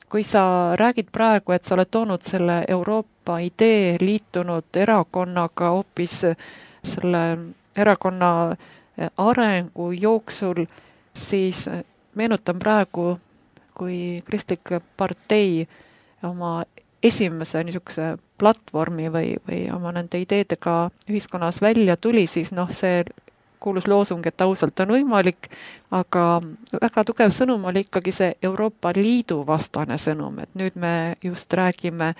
Kui sa räägid praegu, et sa oled toonud selle Euroopa idee liitunud erakonnaga hoopis selle erakonna arengu jooksul, siis meenutan praegu, kui Kristlik partei oma esimese niisuguse platvormi või, või oma nende ideedega ühiskonnas välja tuli, siis noh, see kuulus loosung, et ausalt on võimalik, aga väga tugev sõnum oli ikkagi see Euroopa Liidu vastane sõnum, et nüüd me just räägime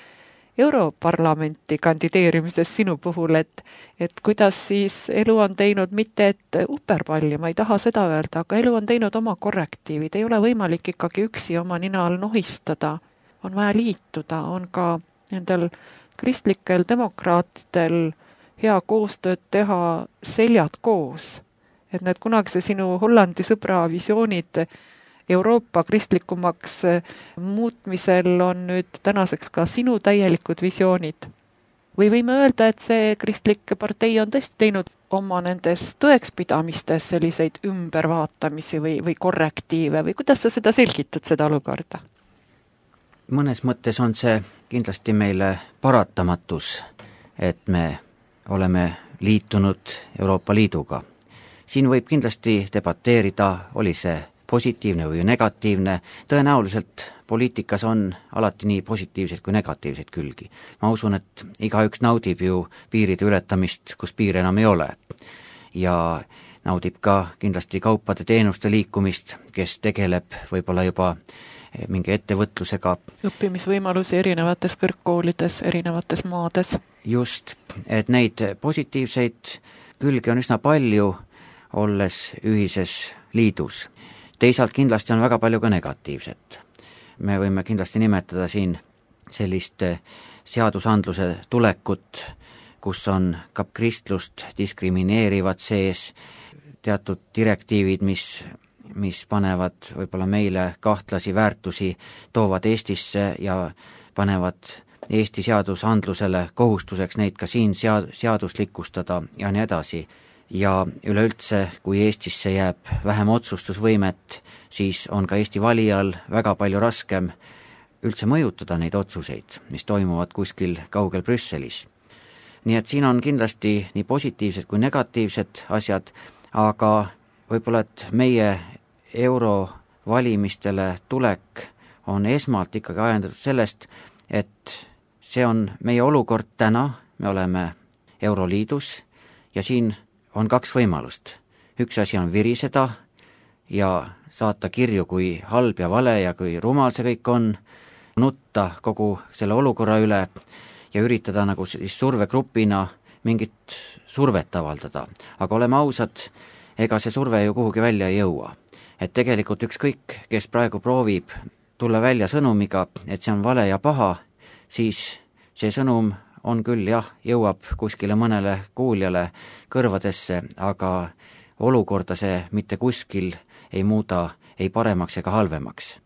Europarlamenti kandideerimisest sinu puhul, et, et kuidas siis elu on teinud mitte et uperpalli, ma ei taha seda öelda, aga elu on teinud oma korrektiivid, ei ole võimalik ikkagi üksi oma nina all nohistada, on vaja liituda, on ka nendel kristlikel demokraatidel hea koostööd teha seljad koos, et need kunagise sinu Hollandi sõbra visioonid Euroopa kristlikumaks muutmisel on nüüd tänaseks ka sinu täielikud visioonid. Või võime öelda, et see kristlik partei on tõesti teinud oma nendes tõekspidamistes selliseid ümbervaatamisi või, või korrektiive või kuidas sa seda selgitad, seda olukorda? Mõnes mõttes on see kindlasti meile paratamatus, et me oleme liitunud Euroopa Liiduga. Siin võib kindlasti debateerida, oli see positiivne või negatiivne. Tõenäoliselt poliitikas on alati nii positiivseid kui negatiivseid külgi. Ma usun, et igaüks naudib ju piiride ületamist, kus piir enam ei ole. Ja naudib ka kindlasti kaupade teenuste liikumist, kes tegeleb võib-olla juba mingi ettevõtlusega. Õppimisvõimalusi erinevates kõrgkoolides, erinevates maades. Just, et neid positiivseid külge on üsna palju, olles ühises liidus. Teisalt kindlasti on väga palju ka negatiivset. Me võime kindlasti nimetada siin sellist seadusandluse tulekut, kus on ka kristlust diskrimineerivad sees, teatud direktiivid, mis, mis panevad võib-olla meile kahtlasi väärtusi, toovad Eestisse ja panevad Eesti seadusandlusele kohustuseks neid ka siin sead- seaduslikustada ja nii edasi. Ja üleüldse, kui Eestisse jääb vähem otsustusvõimet, siis on ka Eesti valijal väga palju raskem üldse mõjutada neid otsuseid, mis toimuvad kuskil kaugel Brüsselis. Nii et siin on kindlasti nii positiivsed kui negatiivsed asjad, aga võib-olla, et meie eurovalimistele tulek on esmalt ikkagi ajendatud sellest, et see on meie olukord täna, me oleme Euroliidus ja siin on kaks võimalust. Üks asi on viriseda ja saata kirju, kui halb ja vale ja kui rumal see kõik on, nutta kogu selle olukorra üle ja üritada nagu siis survegrupina mingit survet avaldada. Aga oleme ausad, ega see surve ju kuhugi välja ei jõua. Et tegelikult ükskõik, kes praegu proovib tulla välja sõnumiga, et see on vale ja paha, siis see sõnum on küll jah, jõuab kuskile mõnele kuuljale kõrvadesse, aga olukorda see mitte kuskil ei muuda ei paremaks ega halvemaks.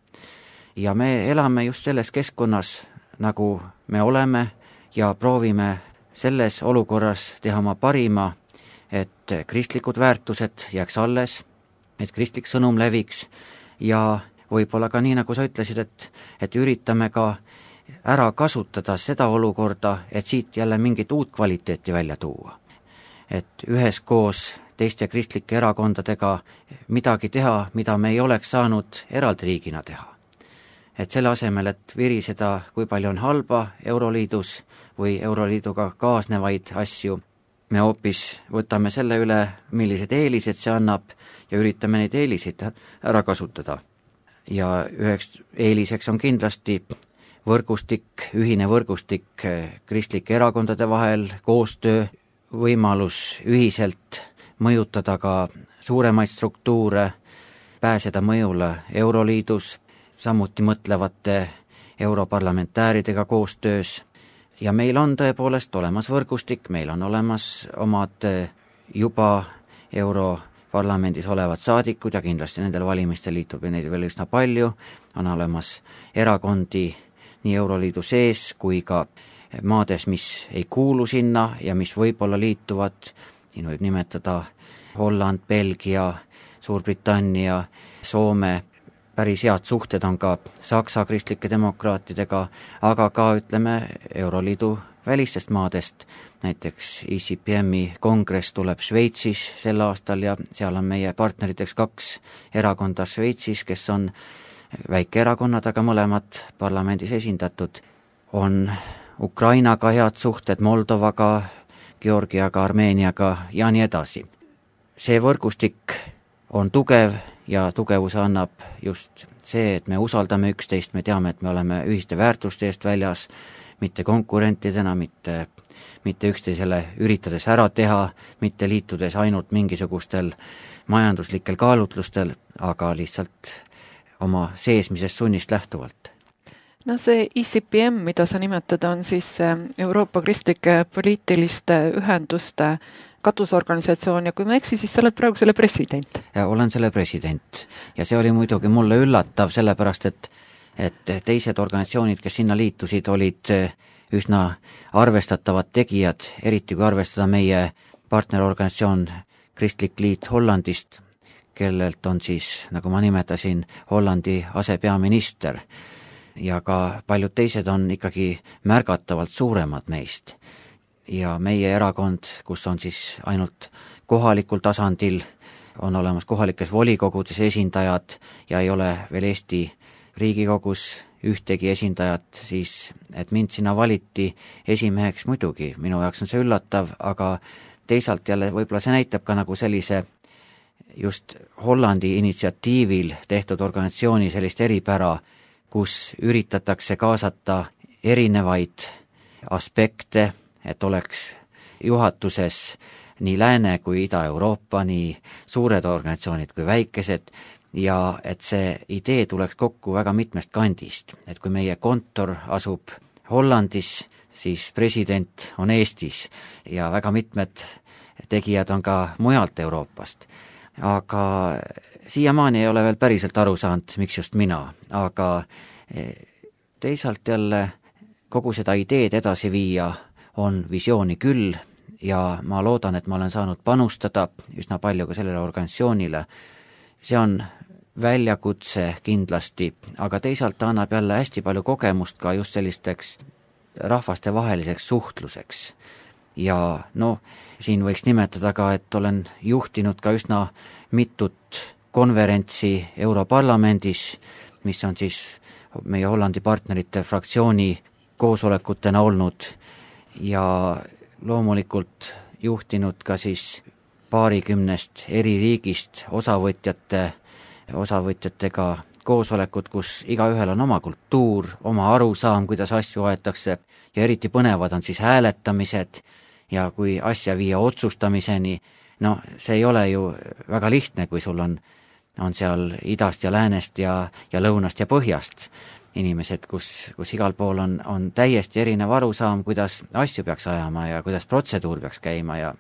Ja me elame just selles keskkonnas, nagu me oleme ja proovime selles olukorras teha oma parima, et kristlikud väärtused jääks alles, et kristlik sõnum leviks ja võib-olla ka nii, nagu sa ütlesid, et, et üritame ka ära kasutada seda olukorda, et siit jälle mingit uut kvaliteeti välja tuua. Et üheskoos teiste kristlike erakondadega midagi teha, mida me ei oleks saanud eraldi riigina teha. Et selle asemel, et viriseda, kui palju on halba Euroliidus või Euroliiduga kaasnevaid asju, me hoopis võtame selle üle, millised eelised see annab ja üritame neid eeliseid ära kasutada. Ja üheks eeliseks on kindlasti võrgustik, ühine võrgustik kristlike erakondade vahel, koostöö, võimalus ühiselt mõjutada ka suuremaid struktuure, pääseda mõjule Euroliidus, samuti mõtlevate europarlamentääridega koostöös. Ja meil on tõepoolest olemas võrgustik, meil on olemas omad juba europarlamendis olevad saadikud ja kindlasti nendel valimistel liitub ja neid veel üsna palju, on olemas erakondi nii Euroliidu sees kui ka maades, mis ei kuulu sinna ja mis võib-olla liituvad, siin võib nimetada Holland, Belgia, Suurbritannia, Soome, päris head suhted on ka Saksa kristlike demokraatidega, aga ka ütleme Euroliidu välistest maadest, näiteks I C P M-i kongress tuleb Šveitsis sel aastal ja seal on meie partneriteks kaks erakonda Šveitsis, kes on väikeerakonnad, aga mõlemad parlamendis esindatud. On Ukrainaga head suhted, Moldovaga, Georgiaga, Armeeniaga ja nii edasi. See võrgustik on tugev ja tugevuse annab just see, et me usaldame üksteist, me teame, et me oleme ühiste väärtuste eest väljas, mitte konkurentidena, mitte, mitte üksteisele üritades ära teha, mitte liitudes ainult mingisugustel majanduslikel kaalutlustel, aga lihtsalt oma seesmisest sunnist lähtuvalt. No see I C P M, mida sa nimetad, on siis Euroopa kristlike poliitiliste ühenduste katusorganisatsioon ja kui ma eksi, siis sa oled praegu selle president. Ja olen selle president ja see oli muidugi mulle üllatav, sellepärast et, et teised organisatsioonid, kes sinna liitusid, olid üsna arvestatavad tegijad, eriti kui arvestada meie partnerorganisatsioon Kristlik Liit Hollandist, kellelt on siis, nagu ma nimetasin, Hollandi asepeaminister ja ka paljud teised on ikkagi märgatavalt suuremad meist. Ja meie erakond, kus on siis ainult kohalikul tasandil, on olemas kohalikes volikogudes esindajad ja ei ole veel Eesti Riigikogus ühtegi esindajat, siis et mind sinna valiti esimeheks muidugi, minu jaoks on see üllatav, aga teisalt jälle võib-olla see näitab ka nagu sellise just Hollandi initsiatiivil tehtud organisatsiooni sellist eripära, kus üritatakse kaasata erinevaid aspekte, et oleks juhatuses nii Lääne kui Ida-Euroopa, nii suured organisatsioonid kui väikesed, ja et see idee tuleks kokku väga mitmest kandist. Et kui meie kontor asub Hollandis, siis president on Eestis ja väga mitmed tegijad on ka mujalt Euroopast. Aga siiamaani ei ole veel päriselt aru saanud, miks just mina, aga teisalt jälle kogu seda ideed edasi viia on visiooni küll ja ma loodan, et ma olen saanud panustada üsna palju ka sellele organisatsioonile. See on väljakutse kindlasti, aga teisalt ta annab jälle hästi palju kogemust ka just sellisteks rahvastevaheliseks suhtluseks. Ja no, siin võiks nimetada ka, et olen juhtinud ka üsna mitut konverentsi Europarlamendis, mis on siis meie Hollandi partnerite fraktsiooni koosolekutena olnud ja loomulikult juhtinud ka siis paarikümnest eri riigist osavõtjate, osavõtjatega koosolekud, kus igaühel on oma kultuur, oma arusaam, kuidas asju aetakse ja eriti põnevad on siis hääletamised ja kui asja viia otsustamiseni, no see ei ole ju väga lihtne, kui sul on, on seal idast ja läänest ja, ja lõunast ja põhjast inimesed, kus, kus igal pool on, on täiesti erinev arusaam, kuidas asju peaks ajama ja kuidas protseduur peaks käima ja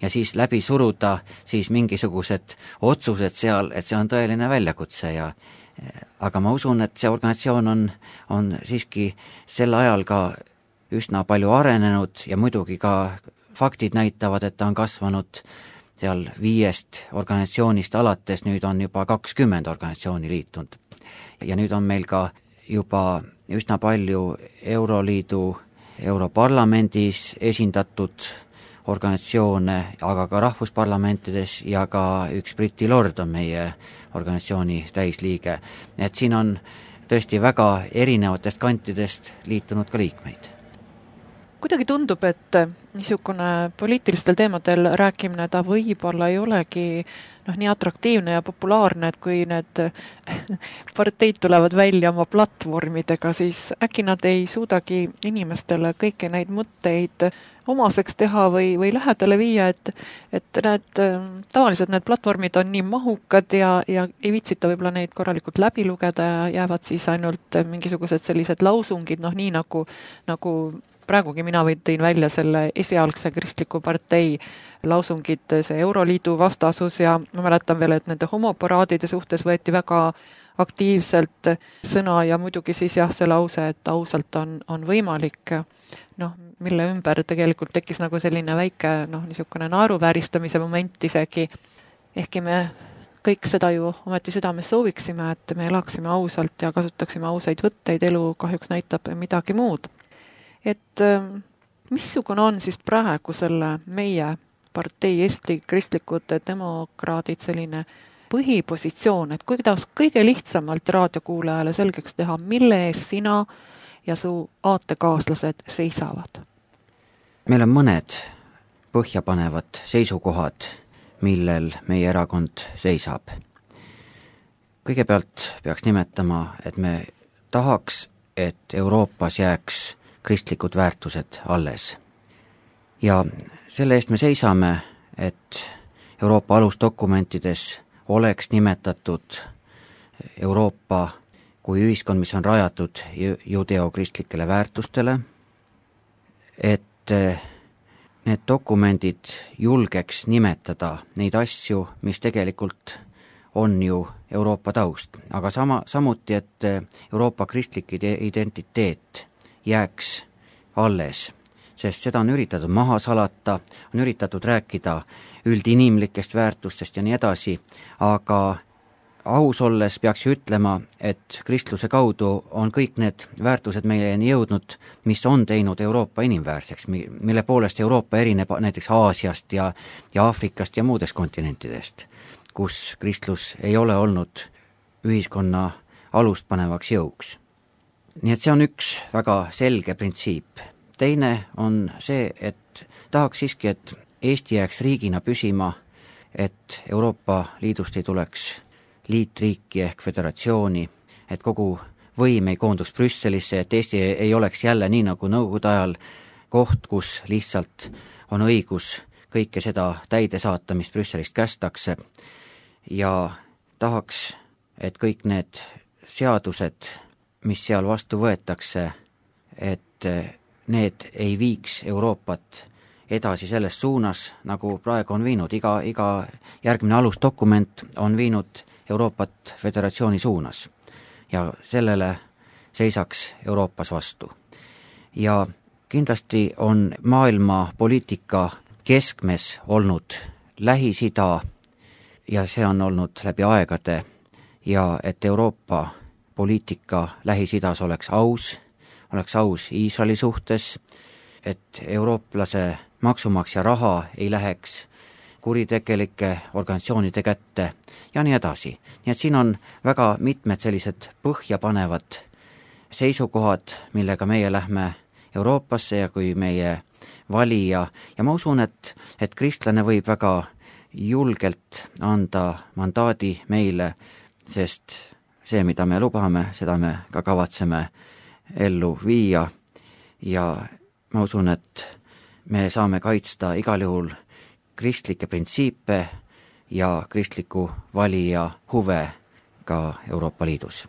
ja siis läbi suruda siis mingisugused otsused seal, et see on tõeline väljakutse ja aga ma usun, et see organisatsioon on, on siiski sel ajal ka üsna palju arenenud ja muidugi ka faktid näitavad, et ta on kasvanud seal viiest organisatsioonist alates, nüüd on juba kakskümmend organisatsiooni liitunud. Ja nüüd on meil ka juba üsna palju Euroliidu, Europarlamendis esindatud organisatsioone, aga ka rahvusparlamentides ja ka üks Briti lord on meie organisatsiooni täisliige. Et siin on tõesti väga erinevatest kantidest liitunud ka liikmeid. Kuidagi tundub, et niisugune poliitilistel teemadel rääkimine ta võib-olla ei olegi noh, nii atraktiivne ja populaarne, et kui need parteid tulevad välja oma platvormidega, siis äkki nad ei suudagi inimestele kõiki neid mõtteid omaseks teha või, või lähedale viia, et, et need, tavaliselt need platvormid on nii mahukad ja, ja ei viitsita võib-olla neid korralikult läbi lugeda ja jäävad siis ainult mingisugused sellised lausungid, noh nii nagu, nagu praegugi mina tõin välja selle esialgse kristliku partei lausungid, see Euroliidu vastasus ja ma mäletan veel, et nende homoparaadide suhtes võeti väga aktiivselt sõna ja muidugi siis jah, see lause, et ausalt on, on võimalik, noh, mille ümber tegelikult tekkis nagu selline väike, noh, niisugune naeruvääristamise moment isegi, ehkki me kõik seda ju ometi südames sooviksime, et me elaksime ausalt ja kasutaksime ausaid võtteid, elu kahjuks näitab midagi muud. Et missugune on siis praegu selle meie partei Eesti kristlikud demokraadid selline põhipositsioon, et kuidas kõige lihtsamalt raadiokuulajale selgeks teha, mille ees sina ja su aatekaaslased seisavad? Meil on mõned põhjapanevad seisukohad, millel meie erakond seisab. Kõigepealt peaks nimetama, et me tahaks, et Euroopas jääks kristlikud väärtused alles. Ja selle eest me seisame, et Euroopa alusdokumentides oleks nimetatud Euroopa kui ühiskond, mis on rajatud judeokristlikele väärtustele, et need dokumendid julgeks nimetada neid asju, mis tegelikult on ju Euroopa taust, aga sama, samuti, et Euroopa kristlik identiteet jääks alles, sest seda on üritatud maha salata, on üritatud rääkida üldinimlikest väärtustest ja nii edasi, aga aus olles peaks ju ütlema, et kristluse kaudu on kõik need väärtused meieni jõudnud, mis on teinud Euroopa inimväärseks, mille poolest Euroopa erineb näiteks Aasiast ja, ja Aafrikast ja muudest kontinentidest, kus kristlus ei ole olnud ühiskonna alustpanevaks jõuks. Nii et see on üks väga selge printsiip. Teine on see, et tahaks siiski, et Eesti jääks riigina püsima, et Euroopa Liidust ei tuleks liitriiki ehk föderatsiooni, et kogu võim ei koonduks Brüsselisse, et Eesti ei oleks jälle nii nagu nõukogude ajal koht, kus lihtsalt on õigus kõike seda täide saata, mis Brüsselist kästakse, ja tahaks, et kõik need seadused, mis seal vastu võetakse, et need ei viiks Euroopat edasi selles suunas, nagu praegu on viinud. Iga, iga järgmine alusdokument on viinud Euroopat föderatsiooni suunas ja sellele seisaks Euroopas vastu. Ja kindlasti on maailma poliitika keskmes olnud Lähis-Ida ja see on olnud läbi aegade, ja et Euroopa poliitika Lähis-Idas oleks aus, oleks aus Iisraeli suhtes, et eurooplase maksumaksja raha ei läheks kuritegelike organisatsioonide kätte ja nii edasi. Nii et siin on väga mitmed sellised põhjapanevad seisukohad, millega meie lähme Euroopasse ja kui meie valija, ja ma usun, et, et kristlane võib väga julgelt anda mandaadi meile, sest see, mida me lubame, seda me ka kavatseme ellu viia, ja ma usun, et me saame kaitsta igal juhul kristlikke printsiipe ja kristliku valija huve ka Euroopa Liidus.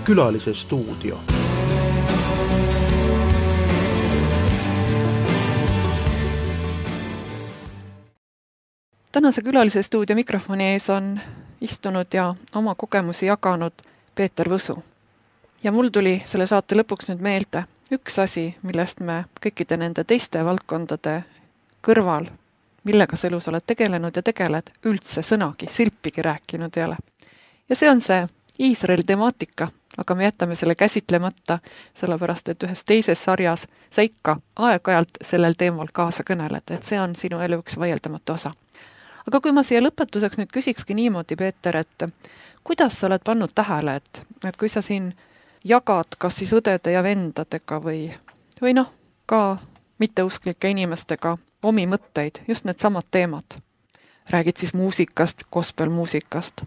Külalise stuudio. Tänase külalise stuudio mikrofoni ees on istunud ja oma kogemusi jaganud Peeter Võsu. Ja mul tuli selle saate lõpuks nüüd meelde üks asi, millest me kõikide nende teiste valdkondade kõrval, millega sa elus oled tegelenud ja tegeled, üldse sõnagi, silpigi rääkinud ei ole. Ja see on see Iisraeli temaatika, aga me jätame selle käsitlemata, sellepärast et ühes teises sarjas sa ikka aeg-ajalt sellel teemal kaasa kõneled, et see on sinu elu üks vaieldamatu osa. Aga kui ma siia lõpetuseks nüüd küsikski niimoodi, Peeter, et kuidas sa oled pannud tähele, et, et kui sa siin jagad kas siis õdede ja vendadega või, või noh, ka mitteusklike inimestega omi mõtteid, just need samad teemad. Räägid siis muusikast, gospelmuusikast,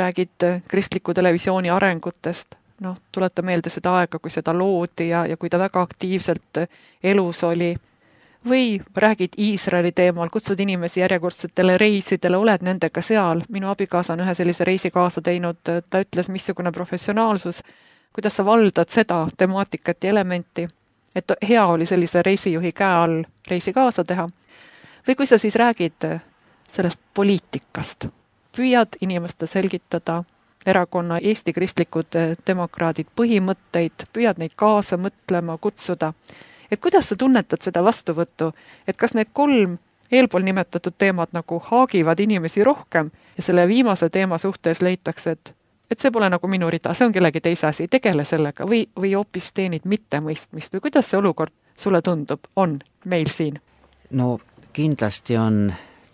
räägid kristliku televisiooni arengutest, noh, tuleta meelde seda aega, kui seda loodi ja, ja kui ta väga aktiivselt elus oli, või räägid Iisraeli teemal, kutsud inimesi järjekordsetele reisidele, oled nendega seal. Minu abikaasa on ühe sellise reisi kaasa teinud, ta ütles, missugune professionaalsus, kuidas sa valdad seda temaatikat ja elementi, et hea oli sellise reisijuhi käe all reisi kaasa teha. Või kui sa siis räägid sellest poliitikast, püüad inimeste selgitada erakonna Eesti kristlikud demokraadid põhimõtteid, püüad neid kaasa mõtlema, kutsuda, et kuidas sa tunnetad seda vastuvõttu, et kas need kolm eelpool nimetatud teemad nagu haagivad inimesi rohkem ja selle viimase teema suhtes leitakse, et, et see pole nagu minu rida, see on kellegi teise asi, tegele sellega või, või hoopis teenid mittemõistmist või kuidas see olukord sulle tundub, on meil siin? No kindlasti on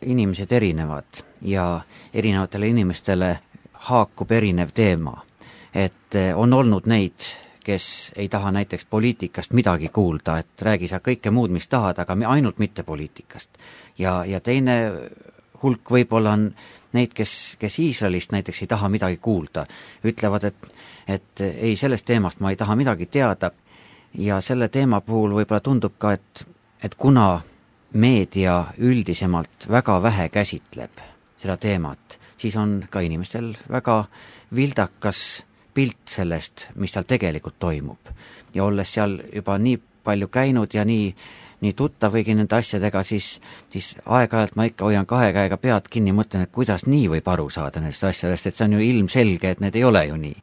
inimesed erinevad ja erinevatele inimestele haakub erinev teema, et on olnud neid, kes ei taha näiteks poliitikast midagi kuulda, et räägi sa kõike muud, mis tahad, aga ainult mitte poliitikast. Ja, ja teine hulk võib-olla on neid, kes, kes Iisraelist näiteks ei taha midagi kuulda. Ütlevad, et, et ei, sellest teemast ma ei taha midagi teada. Ja selle teema puhul võib-olla tundub ka, et, et kuna meedia üldisemalt väga vähe käsitleb seda teemat, siis on ka inimestel väga vildakas pilt sellest, mis seal tegelikult toimub. Ja olles seal juba nii palju käinud ja nii, nii tuttav kõigi nende asjadega, siis, siis aeg-ajalt ma ikka hoian kahe käega pead kinni, mõtlen, et kuidas nii võib aru saada nendest asjadest, et see on ju ilmselge, et need ei ole ju nii.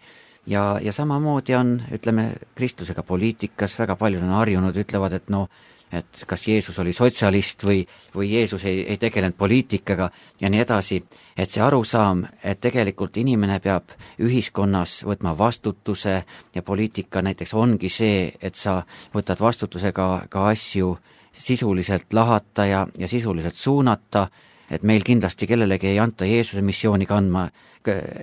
Ja, ja samamoodi on, ütleme, kristlusega poliitikas, väga paljud on harjunud, ütlevad, et no, et kas Jeesus oli sotsialist või, või Jeesus ei, ei tegelenud poliitikaga ja nii edasi, et see arusaam, et tegelikult inimene peab ühiskonnas võtma vastutuse ja poliitika näiteks ongi see, et sa võtad vastutusega ka asju sisuliselt lahata ja, ja sisuliselt suunata, et meil kindlasti kellelegi ei anta Jeesuse missiooni kandma,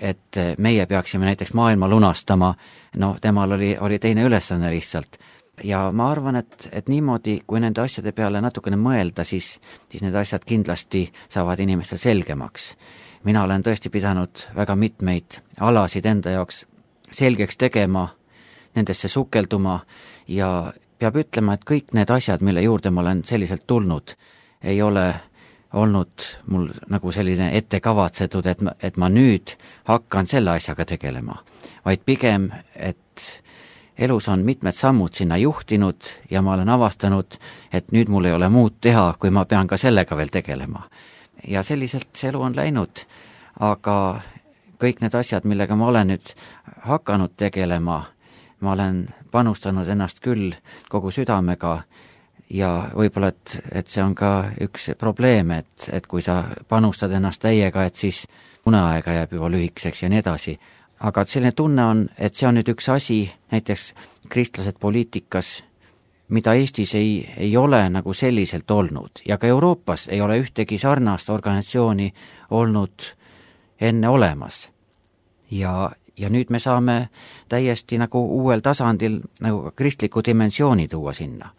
et meie peaksime näiteks maailma lunastama, no temal oli, oli teine ülesanne lihtsalt. Ja ma arvan, et, et niimoodi, kui nende asjade peale natukene mõelda, siis, siis need asjad kindlasti saavad inimestel selgemaks. Mina olen tõesti pidanud väga mitmeid alasid enda jaoks selgeks tegema, nendesse sukelduma ja peab ütlema, et kõik need asjad, mille juurde ma olen selliselt tulnud, ei ole olnud mul nagu selline ette kavatsetud, et ma, et ma nüüd hakkan selle asjaga tegelema, vaid pigem, et elus on mitmed sammud sinna juhtinud ja ma olen avastanud, et nüüd mul ei ole muud teha, kui ma pean ka sellega veel tegelema. Ja selliselt see elu on läinud, aga kõik need asjad, millega ma olen nüüd hakanud tegelema, ma olen panustanud ennast küll kogu südamega ja võib-olla, et, et see on ka üks probleem, et, et kui sa panustad ennast täiega, et siis uneaega jääb juba lühikeseks ja nii edasi. Aga selline tunne on, et see on nüüd üks asi, näiteks kristlased poliitikas, mida Eestis ei, ei ole nagu selliselt olnud ja ka Euroopas ei ole ühtegi sarnast organisatsiooni olnud enne olemas. Ja, ja nüüd me saame täiesti nagu uuel tasandil nagu kristliku dimensiooni tuua sinna.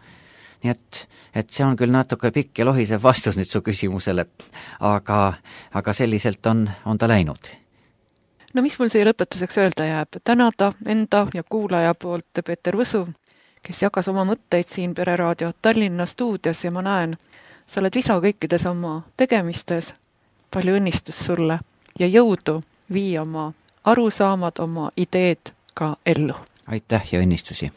Nii et, et see on küll natuke pikk ja lohisev vastus nüüd su küsimusele, aga, aga selliselt on, on ta läinud. No mis mul siia lõpetuseks öelda jääb? Tänada enda ja kuulaja poolt Peeter Võsu, kes jagas oma mõtteid siin Pereraadio Tallinna stuudios ja ma näen, sa oled visa kõikides oma tegemistes. Palju õnnistust sulle ja jõudu vii oma arusaamad, oma ideed ka ellu. Aitäh ja õnnistusi!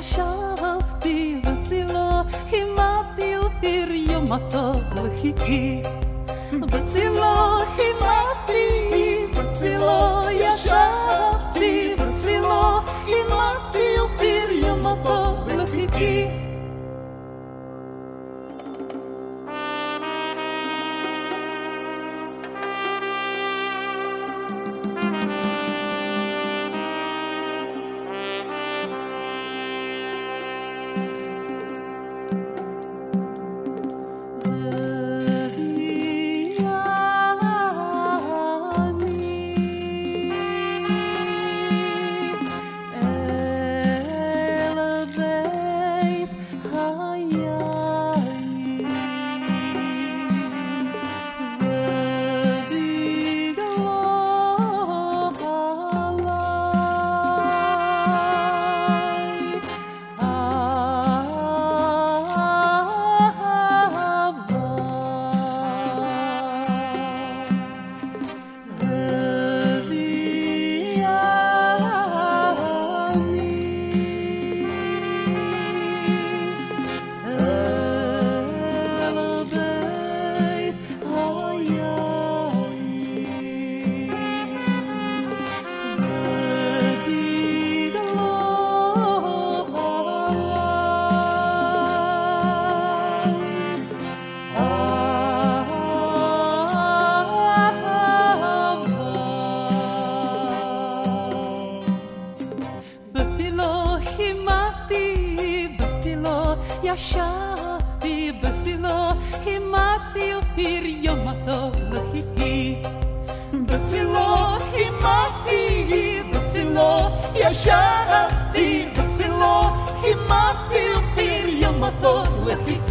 ישבתי בצילו, כימדתי אופיר יום הטוב לחיכי. בצילו כימדתי, בצילו ישבתי, בצילו כימדתי אופיר יום הטוב לחיכי.